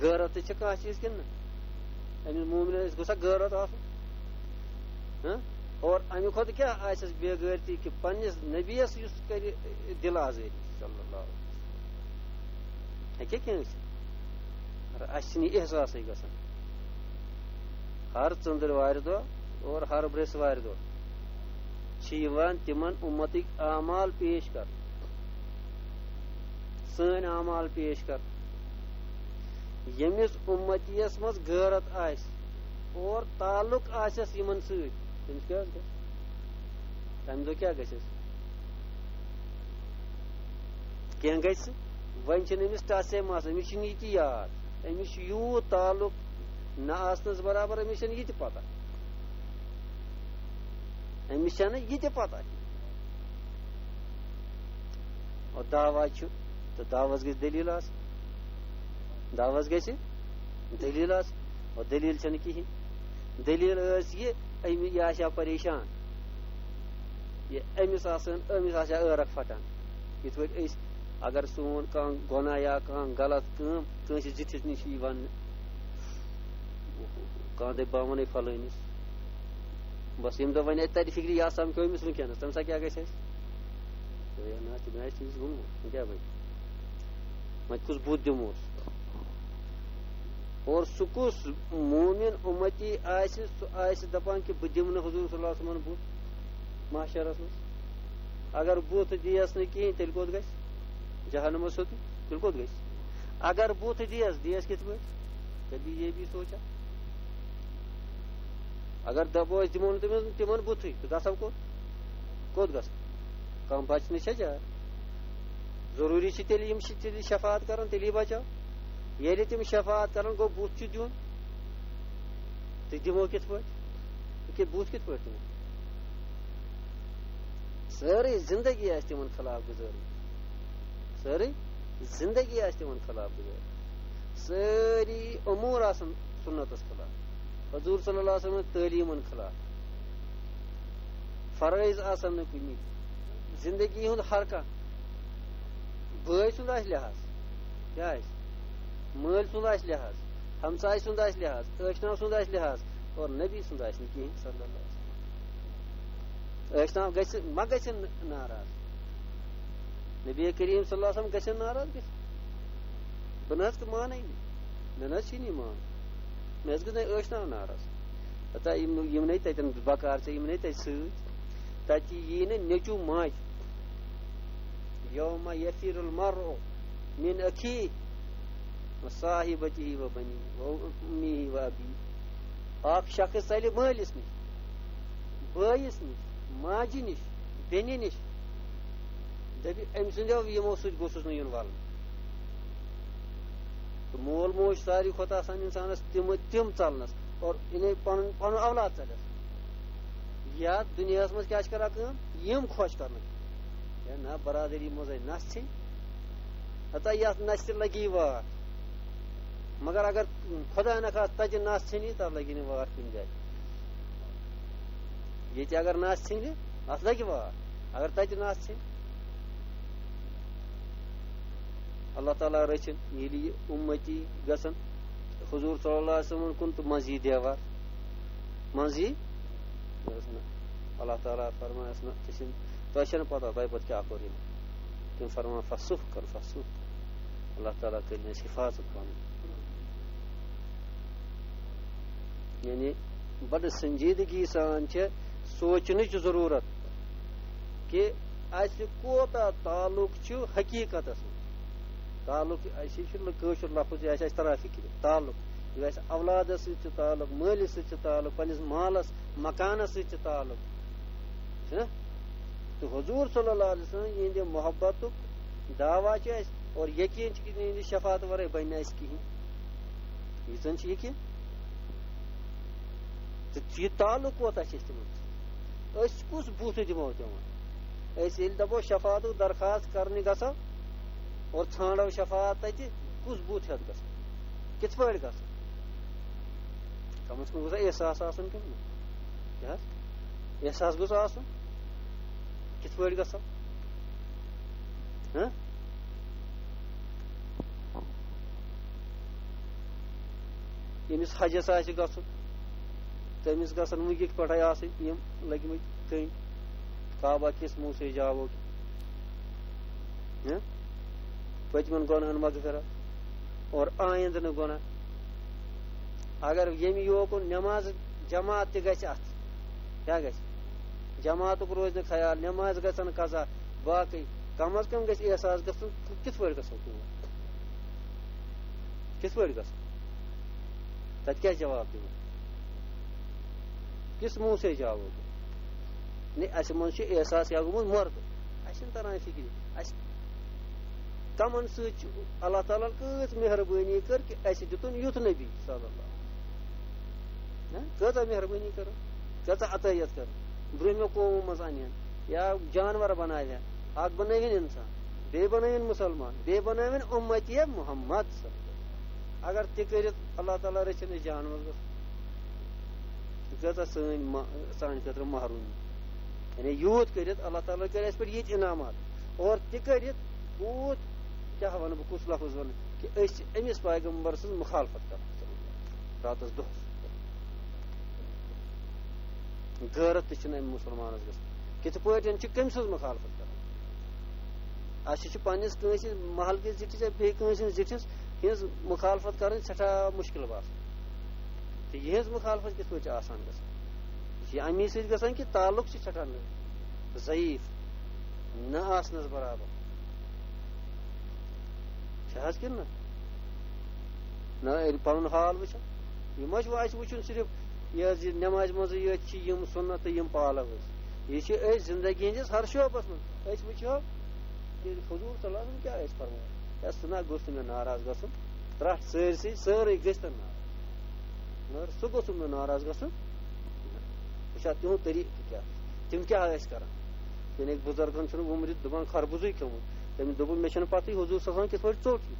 غٲرت تہِ چھِ کانٛہہ چیٖز کِنہٕ نہ؟ أمِس مومنس گوٚژھا غٲرت آسُن؟ ہاں؟ اور اَمہِ کھۄتہٕ کیٛاہ آسٮ۪س بے غٲرتی کہِ پننِس نبیَس یُس کرِ دِل آزٲری صلی اللہ علیہ وسلم؟ ہیٚکیٛاہ کینٛہہ ٲسِتھ؟ مگر اَسہِ چھِنہٕ یہِ احساسٕے گژھان۔ ہر ژٔنٛدٕروارِ دۄہ اور ہر برٛٮ۪سوارِ دۄہ چھِ یِوان تِمن اُمتٕکۍ اعمال پیش کرنہٕ، سٲنۍ اعمال پیش کرنہٕ۔ ییٚمِس اُمتی یس منٛز غٲرت آسہِ اور تعلق آسٮ۪س یِمن سۭتۍ، تٔمِس کیٛاہ حظ گژھِ؟ تَمہِ دۄہ کیٛاہ گژھٮ۪س؟ کینٛہہ گژھِ۔ وۄنۍ چھِنہٕ أمِس ٹَچے مَس، أمِس چھِنہٕ یہِ تہِ یاد، أمِس چھُ یوٗت تعلق نہ آسنَس برابر، أمِس چھَنہٕ یہِ تہِ پَتہ۔ أمِس چھَنہٕ یہِ تہِ پَتہ۔ اور دعویٰ چھُ، تہٕ دعویٰ گژھِ دٔلیٖل آسٕنۍ۔ دعویٰ گژھِ دٔلیٖل آسٕنۍ۔ اور دٔلیٖل چھَنہٕ کِہیٖنۍ۔ دٔلیٖل ٲس یہِ، أمۍ، یہِ آسہِ ہا پریشان۔ یہِ أمِس آسَن، أمِس آسہِ ہا عٲرَق پھٹان۔ یِتھ پٲٹھۍ أسۍ، اگر سون کانٛہہ گۄناہ یا کانٛہہ غلط کٲم کٲنٛسہِ زِٹھِس نِش یی وَننہٕ، کانٛہہ دَپہِ، "بہٕ وَنَے فلٲنِس"، بَس ییٚمہِ دۄہ وۄنۍ اَتہِ تَرِ فِکرِ، یا سَمکھیو أمِس وٕنکیٚنَس، تَمہِ ساتہٕ کیٛاہ گژھِ اَسہِ؟ ہے نہ، تِم آسہِ تٔمِس گوٚمُت، وۄنۍ کیٛاہ بَنہِ؟ وۄنۍ کُس بُتھ دِموس؟ اور سُہ کُس مومن اُمتی آسہِ، سُہ آسہِ دَپان کہِ بہٕ دِمہٕ نہٕ حضور صلی اللہ علیہ وسلمن بُتھ محشرس منٛز۔ اگر بُتھ دِیَس نہٕ کِہیٖنۍ، تیٚلہِ کوٚت گژھِ؟ جہنمس سیوٚدُے۔ تیٚلہِ کوٚت گژھِ؟ اگر بُتھ دِیَس، دِیَس کِتھ پٲٹھۍ؟ تیٚلہِ یہِ بی سونٛچان۔ اگر دَپو أسۍ دِمو نہٕ تٔمِس، تِمن بُتھٕے، تہٕ گژھو کوٚت؟ کوٚت گژھو؟ کانٛہہ بچنٕچ چھےٚ جاے؟ ضروٗری چھِ تیٚلہِ یِم چھِ تیٚلہِ شفاعت کران، تیٚلی بچو۔ ییٚلہِ تِم شفاعت کران، گوٚو بُتھ چھُ دیُن۔ تہٕ دِمو کِتھ پٲٹھۍ؟ کہِ بُتھ کِتھ پٲٹھۍ دِمو؟ سٲرٕے زندگی آسہِ تِمن خلاف گُزٲرمٕژ۔ سٲرٕے زندگی آسہِ تِمن خلاف گُزٲرمٕژ۔ سٲری امور آسن سُنتس خلاف، حضور صلی اللہ علیہ وسلم تعلیٖمن خلاف۔ فرٲیض آسن نہٕ کُنی۔ زندگی ہُنٛد ہر کانٛہہ بٲے سُنٛد آسہِ لحاظ، کیٛاہ آسہِ؟ مٲلۍ سُنٛد آسہِ لحاظ، ہمسایہِ سُنٛد آسہِ لحاظ، ٲشناو سُنٛد آسہِ لحاظ، اور نبی سُنٛد آسہِ نہٕ کِہیٖنۍ صلی اللہ علیہ وسلم۔ ٲشناو گژھِ، ما گژھِ ناراض؟ نبی کریم صلی اللہ علیہ وسلم گژھِ ناراض گژھِ؟ بہٕ نہ حظ مانَے نہٕ، مےٚ نہ حظ چھِی نہٕ یہِ مانُن۔ مےٚ حظ گژھِ نہٕ ٲشناو ناراض۔ پتہ یِم، یِمنٕے تَتٮ۪ن بکار ژےٚ، یِمنٕے تَتہِ سۭتۍ۔ تَتہِ یی نہٕ نیٚچوٗ ماجہِ۔ یوم یفر المرء من اخیہ و صاحبتہ و بنیہ و امہ و ابیہ۔ اکھ شخص ژَلہِ مٲلِس نِش، بٲیِس نِش، ماجہِ نِش، بیٚنہِ نِش۔ دَپہِ، أمۍ سٕنٛدیو یِمو سۭتۍ گوٚژھُس نہٕ یُن وَلنہٕ۔ تہٕ مول موج ساروی کھۄتہٕ آسان اِنسانَس تِم، تِم ژَلنَس، اور یعنی پَنُن، پَنُن اولاد ژَلٮ۪س۔ یَتھ دُنیاہَس منٛز کیٛاہ چھِ کَران کٲم؟ یِم خۄش کَرنہٕ۔ ہے نہ، برادٔری منٛز ہے نَژھ ژھیٚنۍ۔ ہتا یَتھ نَژِ تہِ لَگی وار۔ مگر اگر خۄدا نخواستہٕ تَتہِ نَژھ ژھیٚنی، تَتھ لَگی نہٕ وار کُنہِ جایہِ۔ ییٚتہِ اگر نَژھ ژھیٚنہِ، اَتھ لَگہِ وار۔ اگر تَتہِ نَژھ ژھیٚنہِ، اللہ تعالیٰ رٔچھِن، ییٚلہِ یہِ اُمتی گژھن حضور صلی اللہ علیہ وسلم کُن تہٕ منٛزٕ یی دیوار، منٛزٕ یی، یہِ اوس نہٕ، اللہ تعالیٰ فرمایس نہٕ، ژےٚ چھِنہٕ، تۄہہِ چھَنہٕ پتہ تۄہہِ پتہٕ کیٛاہ کوٚر یِمو۔ تِم فرمان، "فسُحقاً، فسُحقاً۔" اللہ تعالیٰ کٔرِنۍ اَسہِ حفاظت پَنُن۔ یعنی بڑٕ سنجیدگی سان چھِ سونچنٕچ ضروٗرت کہِ اَسہِ کوتاہ تعلق چھُ حقیقتس منٛز۔ تعلق، اَسہِ چھُ کٲشُر لفظ، یہِ آسہِ اَسہِ تران فِکرِ، تعلق۔ یہِ آسہِ اولادس سۭتۍ چھُ تعلق، مٲلِس سۭتۍ چھُ تعلق، پننِس مالس، مکانس سۭتۍ چھُ تعلق۔ چھُنہ؟ تہٕ حضور صلی اللہ علیہ وسلم یِہنٛدِ محبتُک دعویٰ چھُ اَسہِ، اور یقین چھُ کہِ یِہنٛدِ شفاعت ورٲے بنہِ نہٕ اَسہِ کِہیٖنۍ۔ یہِ زن چھُ یقین۔ تہٕ یہِ تعلق کوتاہ چھُ اَسہِ تِمن سۭتۍ؟ أسۍ کُس بُتھ دِمو تِمن؟ أسۍ ییٚلہِ دَپو شفاعتُک درخواست کرنہِ گژھو اور ژھانڈو شفاعت تَتہِ، کُس بُتھ ہٮ۪تھ گژھو؟ کِتھ پٲٹھۍ گژھو؟ کم از کم گوٚژھ احساس آسُن کِنہٕ نہ؟ کیٛاہ حظ؟ احساس گوٚژھ آسُن۔ کِتھ پٲٹھۍ گژھو؟ ہہ؟ ییٚمِس حجس آسہِ گژھُن، تٔمِس گژھن وٕنکہِ پٮ۪ٹھے آسٕنۍ یِم لٔگۍ مٕتۍ کٔنۍ، کعبہ کِس موسے جاوو کہِ، ہہ؟ پٔتمٮ۪ن گۄناہن مغفرت اور آیندٕ نہٕ گۄناہ۔ اگر ییٚمہِ یوکُن نماز جماعت تہِ گژھِ، اتھ کیٛاہ گژھِ؟ جماعتُک روزِ نہٕ خیال، نماز گژھن قضا، باقٕے کم از کم گژھِ احساس گژھُن، کِتھ پٲٹھۍ گژھو تور؟ کِتھ پٲٹھۍ گژھو؟ تَتہِ کیٛاہ جواب دِمو؟ کِس منہ سے جاوو؟ نے، اَسہِ منٛز چھُ احساس کیٛاہ گوٚمُت؟ مۄردٕ۔ اَسہِ چھُنہٕ تران فِکرِ۔ اَسہِ کَمَن سۭتۍ چھُ اللہ تعالیٰ ہَن کۭژ مہربٲنی کٔر کہِ اَسہِ دیُتُن یُتھ نبی صلی اللہ علیہ وسلم۔ ہہ؟ کۭژاہ مہربٲنی کٔر، کۭژاہ عطٲیت کٔر۔ برٛونٛہمہِ قومو منٛز اَنہِ ہن یا جانور بَناوِ ہن، اَکھ بَنٲوِن اِنسان، بیٚیہِ بَنٲوِن مُسلمان، بیٚیہِ بَنٲوِن اُمتی محمد صلی اللہ علیہ وسلم۔ اگر تہِ کٔرِتھ اللہ تعالیٰ رٔچھِنۍ أسۍ جہنمس گژھو۔ یہِ کۭژاہ سٲنۍ ما-، سانہِ خٲطرٕ محروٗمی۔ یعنی یوٗت کٔرِتھ اللہ تعالیٰ کَرِ اَسہِ پٮ۪ٹھ ییٖتۍ انعامات۔ اور تہِ کٔرِتھ کوٗت، کیٛاہ وَنہٕ بہٕ، کُس لفظ وَنہٕ، کہِ أسۍ چھِ أمِس پیغمبر سٕنٛز مُخالفت کران راتس دۄہس۔ غٲرت تہِ چھِنہٕ أمۍ مُسلمانس گژھان۔ کِتھ پٲٹھۍ چھِ کٔمۍ سٕنٛز مُخالفت کران؟ اَسہِ چھِ پننِس کٲنٛسہِ محلہٕ کِس زِٹھِس یا بیٚیہِ کٲنٛسہِ ہٕنٛز زِٹھِس ہٕنٛز مُخالفت کرٕنۍ سٮ۪ٹھاہ مُشکِل باسان۔ تہٕ یِہٕنٛز مُخالفت کِتھ پٲٹھۍ چھِ آسان گژھان؟ یہِ چھِ اَمی سۭتۍ گژھان کہِ تعلق چھِ ژھٮ۪ٹھان ضعیٖف، نہ آسنَس برابر۔ چھِ حظ کِنہٕ نہ؟ نہ، ییٚلہِ پَنُن حال وٕچھو، یہِ ما چھُ اَسہِ وٕچھُن صرف یہِ حظ یہِ نٮ۪مازِ منٛزٕے یٲتۍ چھِ یِم سُنت تہٕ یِم پالو أسۍ۔ یہِ چھِ أسۍ زِندگی ہِنٛدِس ہر شعبَس منٛز۔ أسۍ وٕچھو کہِ حضوٗر صلی اللہ علیہ وسلم کیٛاہ ٲسۍ فرماوان۔ یا سُہ نہ گوٚژھ نہٕ مےٚ ناراض گژھُن، ترٛٹھ سٲرسٕے، سٲرٕے گٔژھۍ تَن ناراض۔ مگر سُہ گوٚژھ نہٕ مےٚ ناراض گژھُن۔ وٕچھ حظ تِہُنٛد طریٖقہٕ کیٛاہ، تِم کیٛاہ ٲسۍ کران۔ یعنی بُزرگن چھُنہٕ وُمرِتھ دُبان خربُزٕے کھیوٚمُت۔ تٔمِس دوٚپُن، "مےٚ چھُنہٕ پَتہٕے حضوٗر صلی اللہ علیہ وسلم کِتھ پٲٹھۍ ژوٚٹ یہِ۔"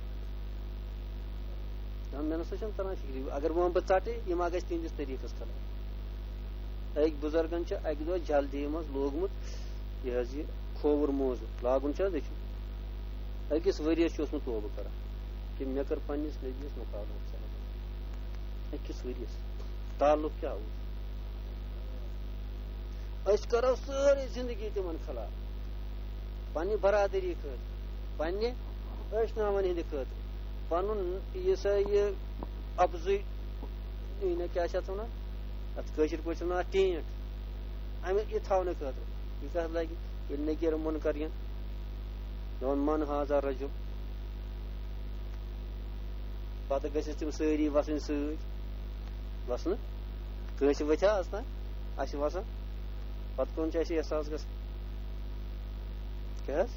نہ، مےٚ نہ سا چھُنہٕ تران فِکرِ۔ اگر بہٕ وَنہٕ بہٕ ژَٹے، یِم ما گژھِ تِہنٛدِس طریٖقَس خلاف۔ أکۍ بُزرگن چھُ اَکہِ دۄہ جلدی منٛز لوگمُت یہِ حظ یہِ کھووُر موزٕ۔ لاگُن چھُ حظ أکِس، أکِس ؤرِیَس چھُ اوسمُت توبہٕ کران کہِ مےٚ کٔر پننِس نبیَس مُخالفت۔ أکِس ؤرِیَس تعلق کیٛاہ اوس؟ أسۍ کرو سٲرٕے زندگی تِمن خلاف، پننہِ برادری خٲطرٕ، پننہِ ٲشناون ہٕنٛدِ خٲطرٕ، پنُن یہِ سا یہِ اپزُے، یہِ نہ کیٛاہ چھِ اتھ ونان، اتھ کٲشِر پٲٹھۍ چھِ ونان ٹینٹ، اَمہِ یہِ تھاونہٕ خٲطرٕ۔ یہِ کتھ لگہِ ییٚلہِ نکیر منکر یِن، دپان، "من ہذا رجل"، پتہٕ گٔژھِس تِم سٲری وسٕنۍ سۭتۍ۔ وسنہٕ کٲنٛسہِ ؤتھِ ہا از تام؟ اَسہِ چھِ وَسان۔ پَتہٕ کَم چھِ اَسہِ احساس گژھان؟ کیٛاہ حظ؟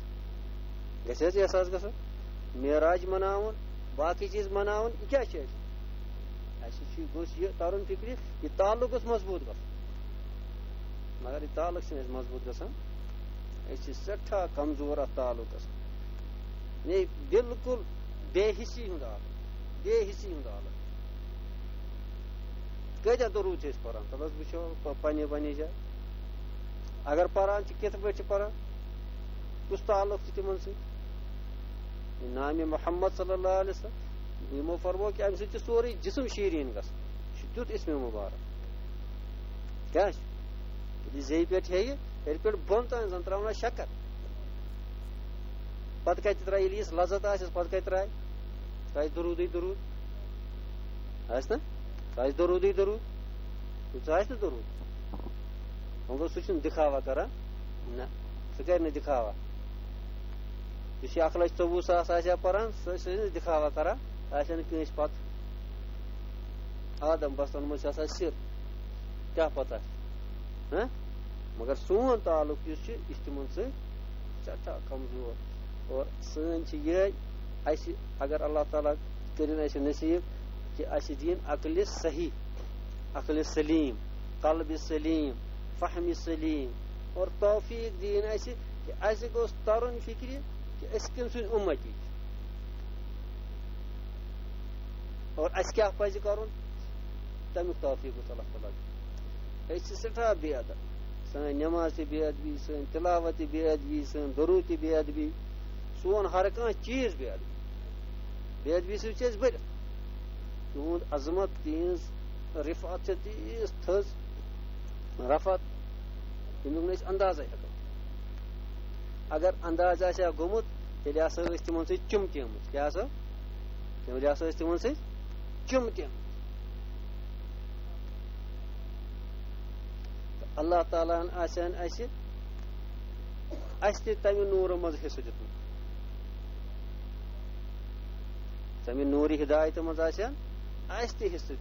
گژھِ حظ احساس گژھُن؟ معراج مَناوُن، باقٕے چیٖز مَناوُن، یہِ کیٛاہ چھُ اَسہِ؟ اَسہِ چھُ، گوٚژھ یہِ تَرُن فِکرِ، یہِ تعلق گوٚژھ مضبوٗط گژھُن۔ مگر یہِ تعلق چھُنہٕ اَسہِ مضبوٗط گژھان۔ أسۍ چھِ سٮ۪ٹھاہ کمزور اَتھ تعلقس۔ یعنی بالکل بے حسی ہُنٛد عالم، بے حسی ہُنٛد عالم۔ کۭتیٛاہ درود چھِ أسۍ پران؟ تَلہٕ حظ وٕچھو پ-، پننہِ پننہِ جایہِ۔ اگر پران چھِ، کِتھ پٲٹھۍ چھِ پران؟ کُس تعلق چھُ تِمن سۭتۍ؟ نامِ محمد صلی اللہ علیہ وسلم۔ یِمو فرموو کہِ اَمہِ سۭتۍ چھُ سورُے جسم شیٖریٖن گژھان۔ یہِ چھُ تیُتھ اسمِ مُبارک۔ کیٛاہ چھُ؟ ییٚلہِ یہِ زیٚیہِ پٮ۪ٹھ ہیٚیہِ، ہیٚرِ پٮ۪ٹھ بۄن تام زَن ترٛاونا شکر۔ پتہٕ کَتہِ ترٛایہِ؟ ییٚلہِ یِژھ لذت آسٮ۪س، پتہٕ کَتہِ ترٛایہِ؟ ترٛایہِ درودٕے درود۔ آسہِ نا؟ ترٛایہِ درودٕے درود۔ سُہ آسہِ نہٕ درود۔ وۄنۍ گوٚو، سُہ چھُنہٕ دِکھاوا کران۔ نہ، سُہ کرِ نہٕ دِکھاوا۔ یُس یہِ اکھ لچھ ژوٚوُہ ساس آسہِ ہا پران، سُہ، سُہ ٲسۍ نہٕ دِکھاوا کران، آسہِ ہا نہٕ کٲنٛسہِ پتہٕ۔ آدم بستن منٛز چھِ آسان سِر، کیٛاہ پتہ؟ ہہ؟ مگر سون تعلق یُس چھُ، یہِ چھُ تِمن سۭتۍ سٮ۪ٹھاہ کمزور۔ اور سٲنۍ چھِ یِہے، اَسہِ اگر اللہ تعالیٰ کٔرِن اَسہِ نصیٖب کہِ اَسہِ دِیِن عقلِ صحیح، عقلِ سلیٖم، قلبِ سلیٖم، فہمِ سلیٖم، اور توفیٖق دِیِن اَسہِ کہِ اَسہِ گوٚژھ تَرُن فِکرِ کہِ أسۍ کٔمۍ سٕنٛدۍ اُمتی چھِ۔ اور اَسہِ کیٛاہ پَزِ کَرُن، تَمیُک توفیٖق گوٚژھ اللہ تعالیٰ دیُن۔ أسۍ چھِ سٮ۪ٹھاہ بے ادب، سٲنۍ نٮ۪ماز تہِ بے ادبی، سٲنۍ تِلاوت تہِ بے ادبی، سٲنۍ درود تہِ بے ادبی، سون ہر کانٛہہ چیٖز بے ادبی۔ بے ادبی سۭتۍ چھِ أسۍ بٔرِتھ۔ تِہُنٛد عظمت، تِہِنٛز رِفعت چھِ تیٖژ تھٔز، رفعت، ییٚمیُک نہٕ أسۍ اندازے ہٮ۪کو۔ اگر انداز آسہِ ہا گوٚمُت، تیٚلہِ آسہٕ أسۍ تِمن سۭتۍ چِمٹیمٕتۍ۔ کیٛاہ سا؟ تیٚلہِ آسہٕ أسۍ تِمن سۭتۍ چِمٹیمٕتۍ۔ تہٕ اللہ تعالیٰ ہن آسہِ ہن اَسہِ، اَسہِ تہِ تَمہِ نوٗرٕ منٛز حصہٕ دیُتمُت۔ تَمہِ نوٗرِ ہدایتہٕ منٛز آسہِ ہا اَسہِ تہِ حصہٕ۔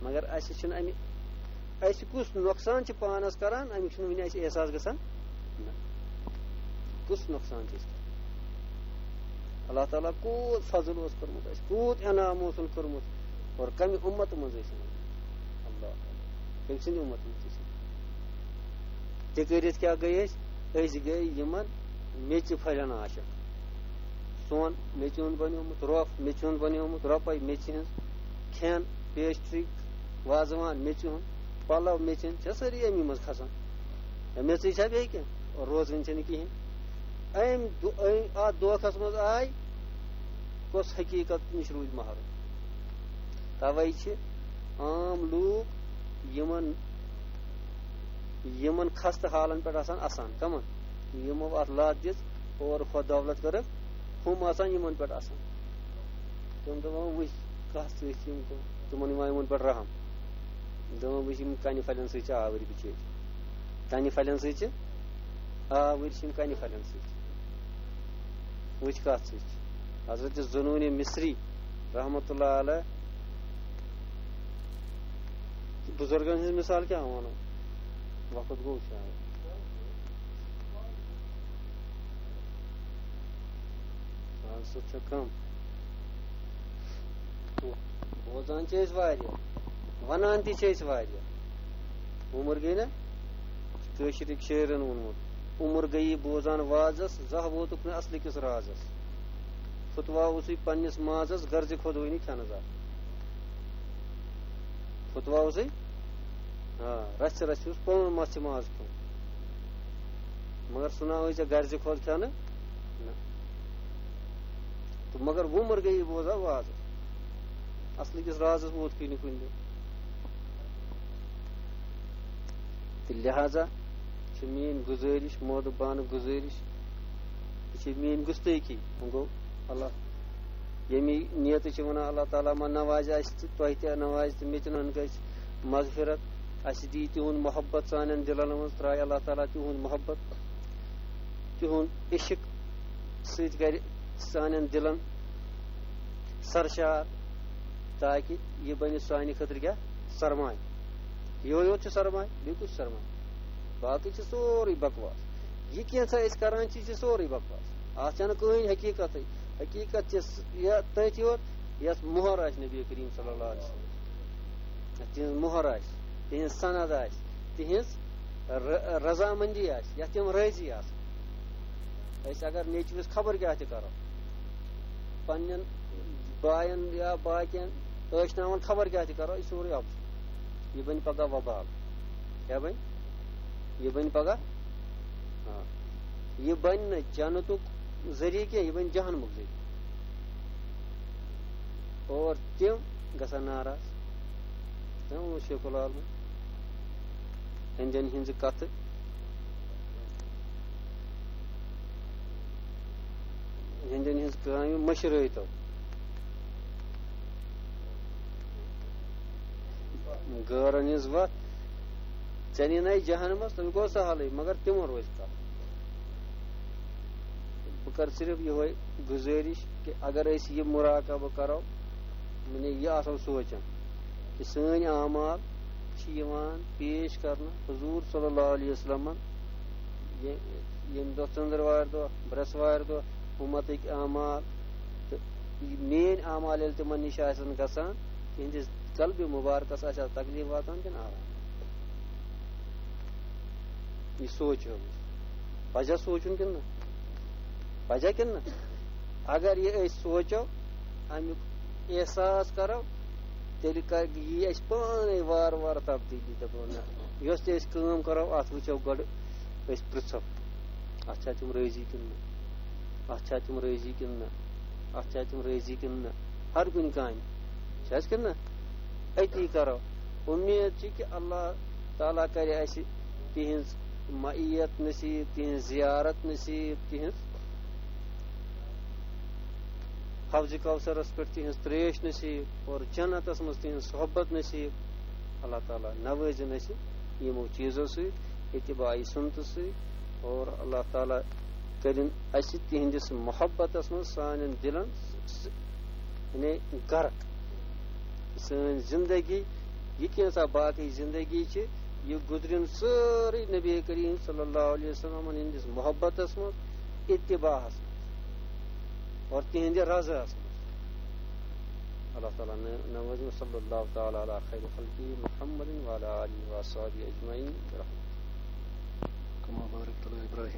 مگر اَسہِ چھُنہٕ اَمہِ، اَسہِ کُس نۄقصان چھُ پانَس کران، اَمیُک چھُنہٕ وُنہِ اَسہِ احساس گژھان۔ نہ۔ کُس نۄقصان چھُ اَسہِ کران؟ اللہ تعالیٰ کوٗت فضل اوس کوٚرمُت اَسہِ، کوٗت انعام اوسُن کوٚرمُت، اور کَمہِ اُمتہٕ منٛز ٲسۍ یِوان؟ اللہ تعالیٰ، کٔمۍ سٕنٛدِ اُمتہٕ منٛز ٲسۍ یِوان؟ تہِ کٔرِتھ کیٛاہ گٔے أسۍ؟ أسۍ گٔے یِمن میٚژِ پھلٮ۪ن عاشق۔ سۄن میٚژِ ہُنٛد بنیومُت، رۄپھ میٚژِ ہُنٛد بنیومُت، رۄپے میٚژِ ہٕنٛز، کھٮ۪ن، پیسٹری، وازوان میٚژِ ہُنٛد، پلو میٚژِ ہٕنٛدۍ، چھےٚ سٲری اَمی منٛز کھسان۔ یا میٚژٕے چھا بیٚیہِ کینٛہہ؟ روزٕنۍ چھَنہٕ کِہیٖنۍ۔ أمۍ دو-، أمۍ، اَتھ دھوکھس منٛز آے، کۄس حقیٖقت نِش روٗدۍ محروم؟ توے چھِ عام لوٗکھ یِمن، یِمن خستہٕ حالن پٮ۪ٹھ آسان اَسان۔ کَمن؟ یِمو اَتھ لَتھ دِژ، اور خۄد دولت کٔرٕکھ، ہُم آسان یِمن پٮ۪ٹھ اَسان۔ تِم دَپان، وٕچھ کَتھ سۭتۍ چھِ یِم، تِمن یِوان یِمن پٮ۪ٹھ رحم۔ دَپان، وٕچھ، یِم کَنہِ پھلٮ۪ن سۭتۍ چھِ آوٕرۍ بِچٲرۍ۔ کَنہِ پھلٮ۪ن سۭتۍ چھِ آوٕرۍ، چھِ یِم کَنہِ پھلٮ۪ن سۭتۍ۔ وٕچھ کَتھ سۭتۍ چھِ۔ حضرت ذُنوٗنِ مصری رحمتہ اللہ علیہ بُزرگن ہٕنٛز مِثال کیٛاہ وَنو؟ وقت گوٚو شاید۔ آز سُہ چھُ کم۔ بوزان چھِ أسۍ واریاہ، وَنان تہِ چھِ أسۍ واریاہ۔ عمر گٔے نا؟ کٲشرِکۍ شٲعرن ووٚنمُت، عمر گٔیی بوزان وازس، زانٛہہ ووتُکھ نہٕ اصلہٕ کِس رازس۔ فتوا اوسُے پننِس مازس، غرضِ خۄدوٲنی کھٮ۪نہٕ زانٛہہ۔ فتوا اوسُے، آ، رژھِ رژھِ اوس پانہٕ مژھِ ماز کھیوٚن۔ مگر سُہ نہ ٲسۍ ژےٚ غرضِ خۄد کھٮ۪نہٕ۔ نہ۔ تہٕ مگر وُمر گٔیی بوزان وازس۔ اصلہٕ کِس رازس ووت کُنہِ کُنہِ دۄہ۔ تہٕ لہذا چھِ میٲنۍ گُزٲرِش، مودٕ بانہٕ گُزٲرِش، یہِ چھِ میٲنۍ گُستٲخی۔ وۄنۍ گوٚو اللہ، ییٚمی نیتہٕ چھِ وَنان، اللہ تعالیٰ ما نوازِ اَسہِ تہٕ تۄہہِ تہِ نوازِ تہٕ مےٚ تہِ نن گژھِ مغفرت۔ اَسہِ دی تِہُنٛد محبت سانٮ۪ن دِلن منٛز، ترٛایہِ اللہ تعالیٰ تِہُنٛد محبت، تِہُنٛد عشق سۭتۍ کرِ سانٮ۪ن دِلن سرشار، تاکہِ یہِ بنہِ سانہِ خٲطرٕ کیٛاہ؟ سرمایہِ۔ یِہوٚے یوت چھُ سرمایہِ، بیٚیہِ کُس چھُ سرمایہِ؟ باقٕے چھُ سورُے بکواس۔ یہِ کینٛژھا أسۍ کران چھِ، یہِ چھُ سورُے بکواس۔ اَتھ چھَنہٕ کٕہٕنۍ حقیٖقتٕے۔ حقیٖقت چھِ س-، یہِ تٔتھۍ یوت، یَتھ مۄہر آسہِ نبی کریم صلی اللہ علیہ وسلم۔ یَتھ تِہنٛز مۄہر آسہِ، تِہنٛز سند آسہِ، تِہنٛز ر-، رضامندی آسہِ، یَتھ تِم رٲضی آسن۔ أسۍ اگر نیٚچوِس خبر کیٛاہ تہِ کرو، پننٮ۪ن باین یا باقین ٲشناوان خبر کیٛاہ تہِ کرو، یہِ سورُے اَپُز۔ یہِ بنہِ پگاہ وبال۔ کیٛاہ بنہِ؟ یہِ بنہِ پگاہ، آ، یہِ بنہِ نہٕ جنتُک ذٔریعہٕ کینٛہہ، یہِ بنہِ جہنمُک ذٔریعہٕ۔ اور تِم گژھن ناراض۔ تِم اوس شیخ العالم ہیٚندٮ۪ن ہٕنٛزٕ کتھٕ، ہیٚندٮ۪ن ہٕنٛز کامہِ مٔشرٲوتو۔ غٲرن ہٕنٛز وتھ ژےٚ نِنَے جہنمس، تَمیُک گوٚو سہلٕے، مگر تِمن روزِ کتھ۔ بہٕ کرٕ صرف یِہوٚے گُزٲرِش کہِ اگر أسۍ یہِ مُراقبہٕ کرو، یعنی یہِ آسو سونٛچان کہِ سٲنۍ اعمال چھِ یِوان پیش کرنہٕ حضوٗر صلی اللہ علیہ وسلمن، یہِ-، ییٚمہِ دۄہ ژٔنٛدٕروارِ دۄہ، برٛٮ۪سوارِ دۄہ، اُمتٕکۍ اعمال، تہٕ یہِ میٛٲنۍ اعمال ییٚلہِ تِمن نِش آسن گژھان، تِہنٛدِس قلبِ مُبارکس آسہِ ہا تکلیف واتان کِنہٕ آرام؟ یہِ سونٛچو أسۍ۔ پزا سونٛچُن کِنہٕ نہ؟ پزا کِنہٕ نہ؟ اگر یہِ أسۍ سونٛچو، امیُک احساس کرو، تیٚلہِ کر-، یی اَسہِ پانے وارٕ وارٕ تبدیٖلی۔ دپو نہ، یۄس تہِ أسۍ کٲم کرو، اتھ وٕچھو گۄڈٕ، أسۍ پرژھو، اتھ چھا تِم رٲضی کِنہٕ نہ؟ اتھ چھا تِم رٲضی کِنہٕ نہ؟ اتھ چھا تِم رٲضی کِنہٕ نہ؟ ہر کُنہِ کامہِ چھِ حظ کِنہٕ نہ؟ أتی کرو۔ اُمید چھِ کہِ اللہ تعالیٰ کرِ اَسہِ تِہنٛز معیت نصیب، تِہنٛز زیارت نصیب، تِہنٛز حوضِ کوثرس پٮ۪ٹھ تِہنٛز ترٛیش نصیب اور جنتس منٛز تِہنٛز صحبت نصیب۔ اللہ تعالیٰ نوٲزِن اَسہِ یِمو چیٖزو سۭتۍ، اتباعِ سُنتہٕ سۭتۍ، اور اللہ تعالیٰ کٔرِن اَسہِ تِہنٛدِس محبتس منٛز سانٮ۪ن دِلن س-، یعنی غرق۔ سٲنۍ زندگی، یہِ کینٛژھا باقٕے زندگی چھِ، یہِ گُزرِن سٲرٕے نبی کریم صلی اللہ علیہ وسلم ہٕنٛدِس محبتس منٛز، اتباعس منٛز اور تِہنٛدِ رضاہس منٛز۔ اللہ تعالیٰ نوٲزِم۔ صلی اللہ تعالیٰ علی خیر خلقہ محمد وعلی آلہ وصحبہ اجمعین برحمتہ۔ کما بارکت علی ابراہیم۔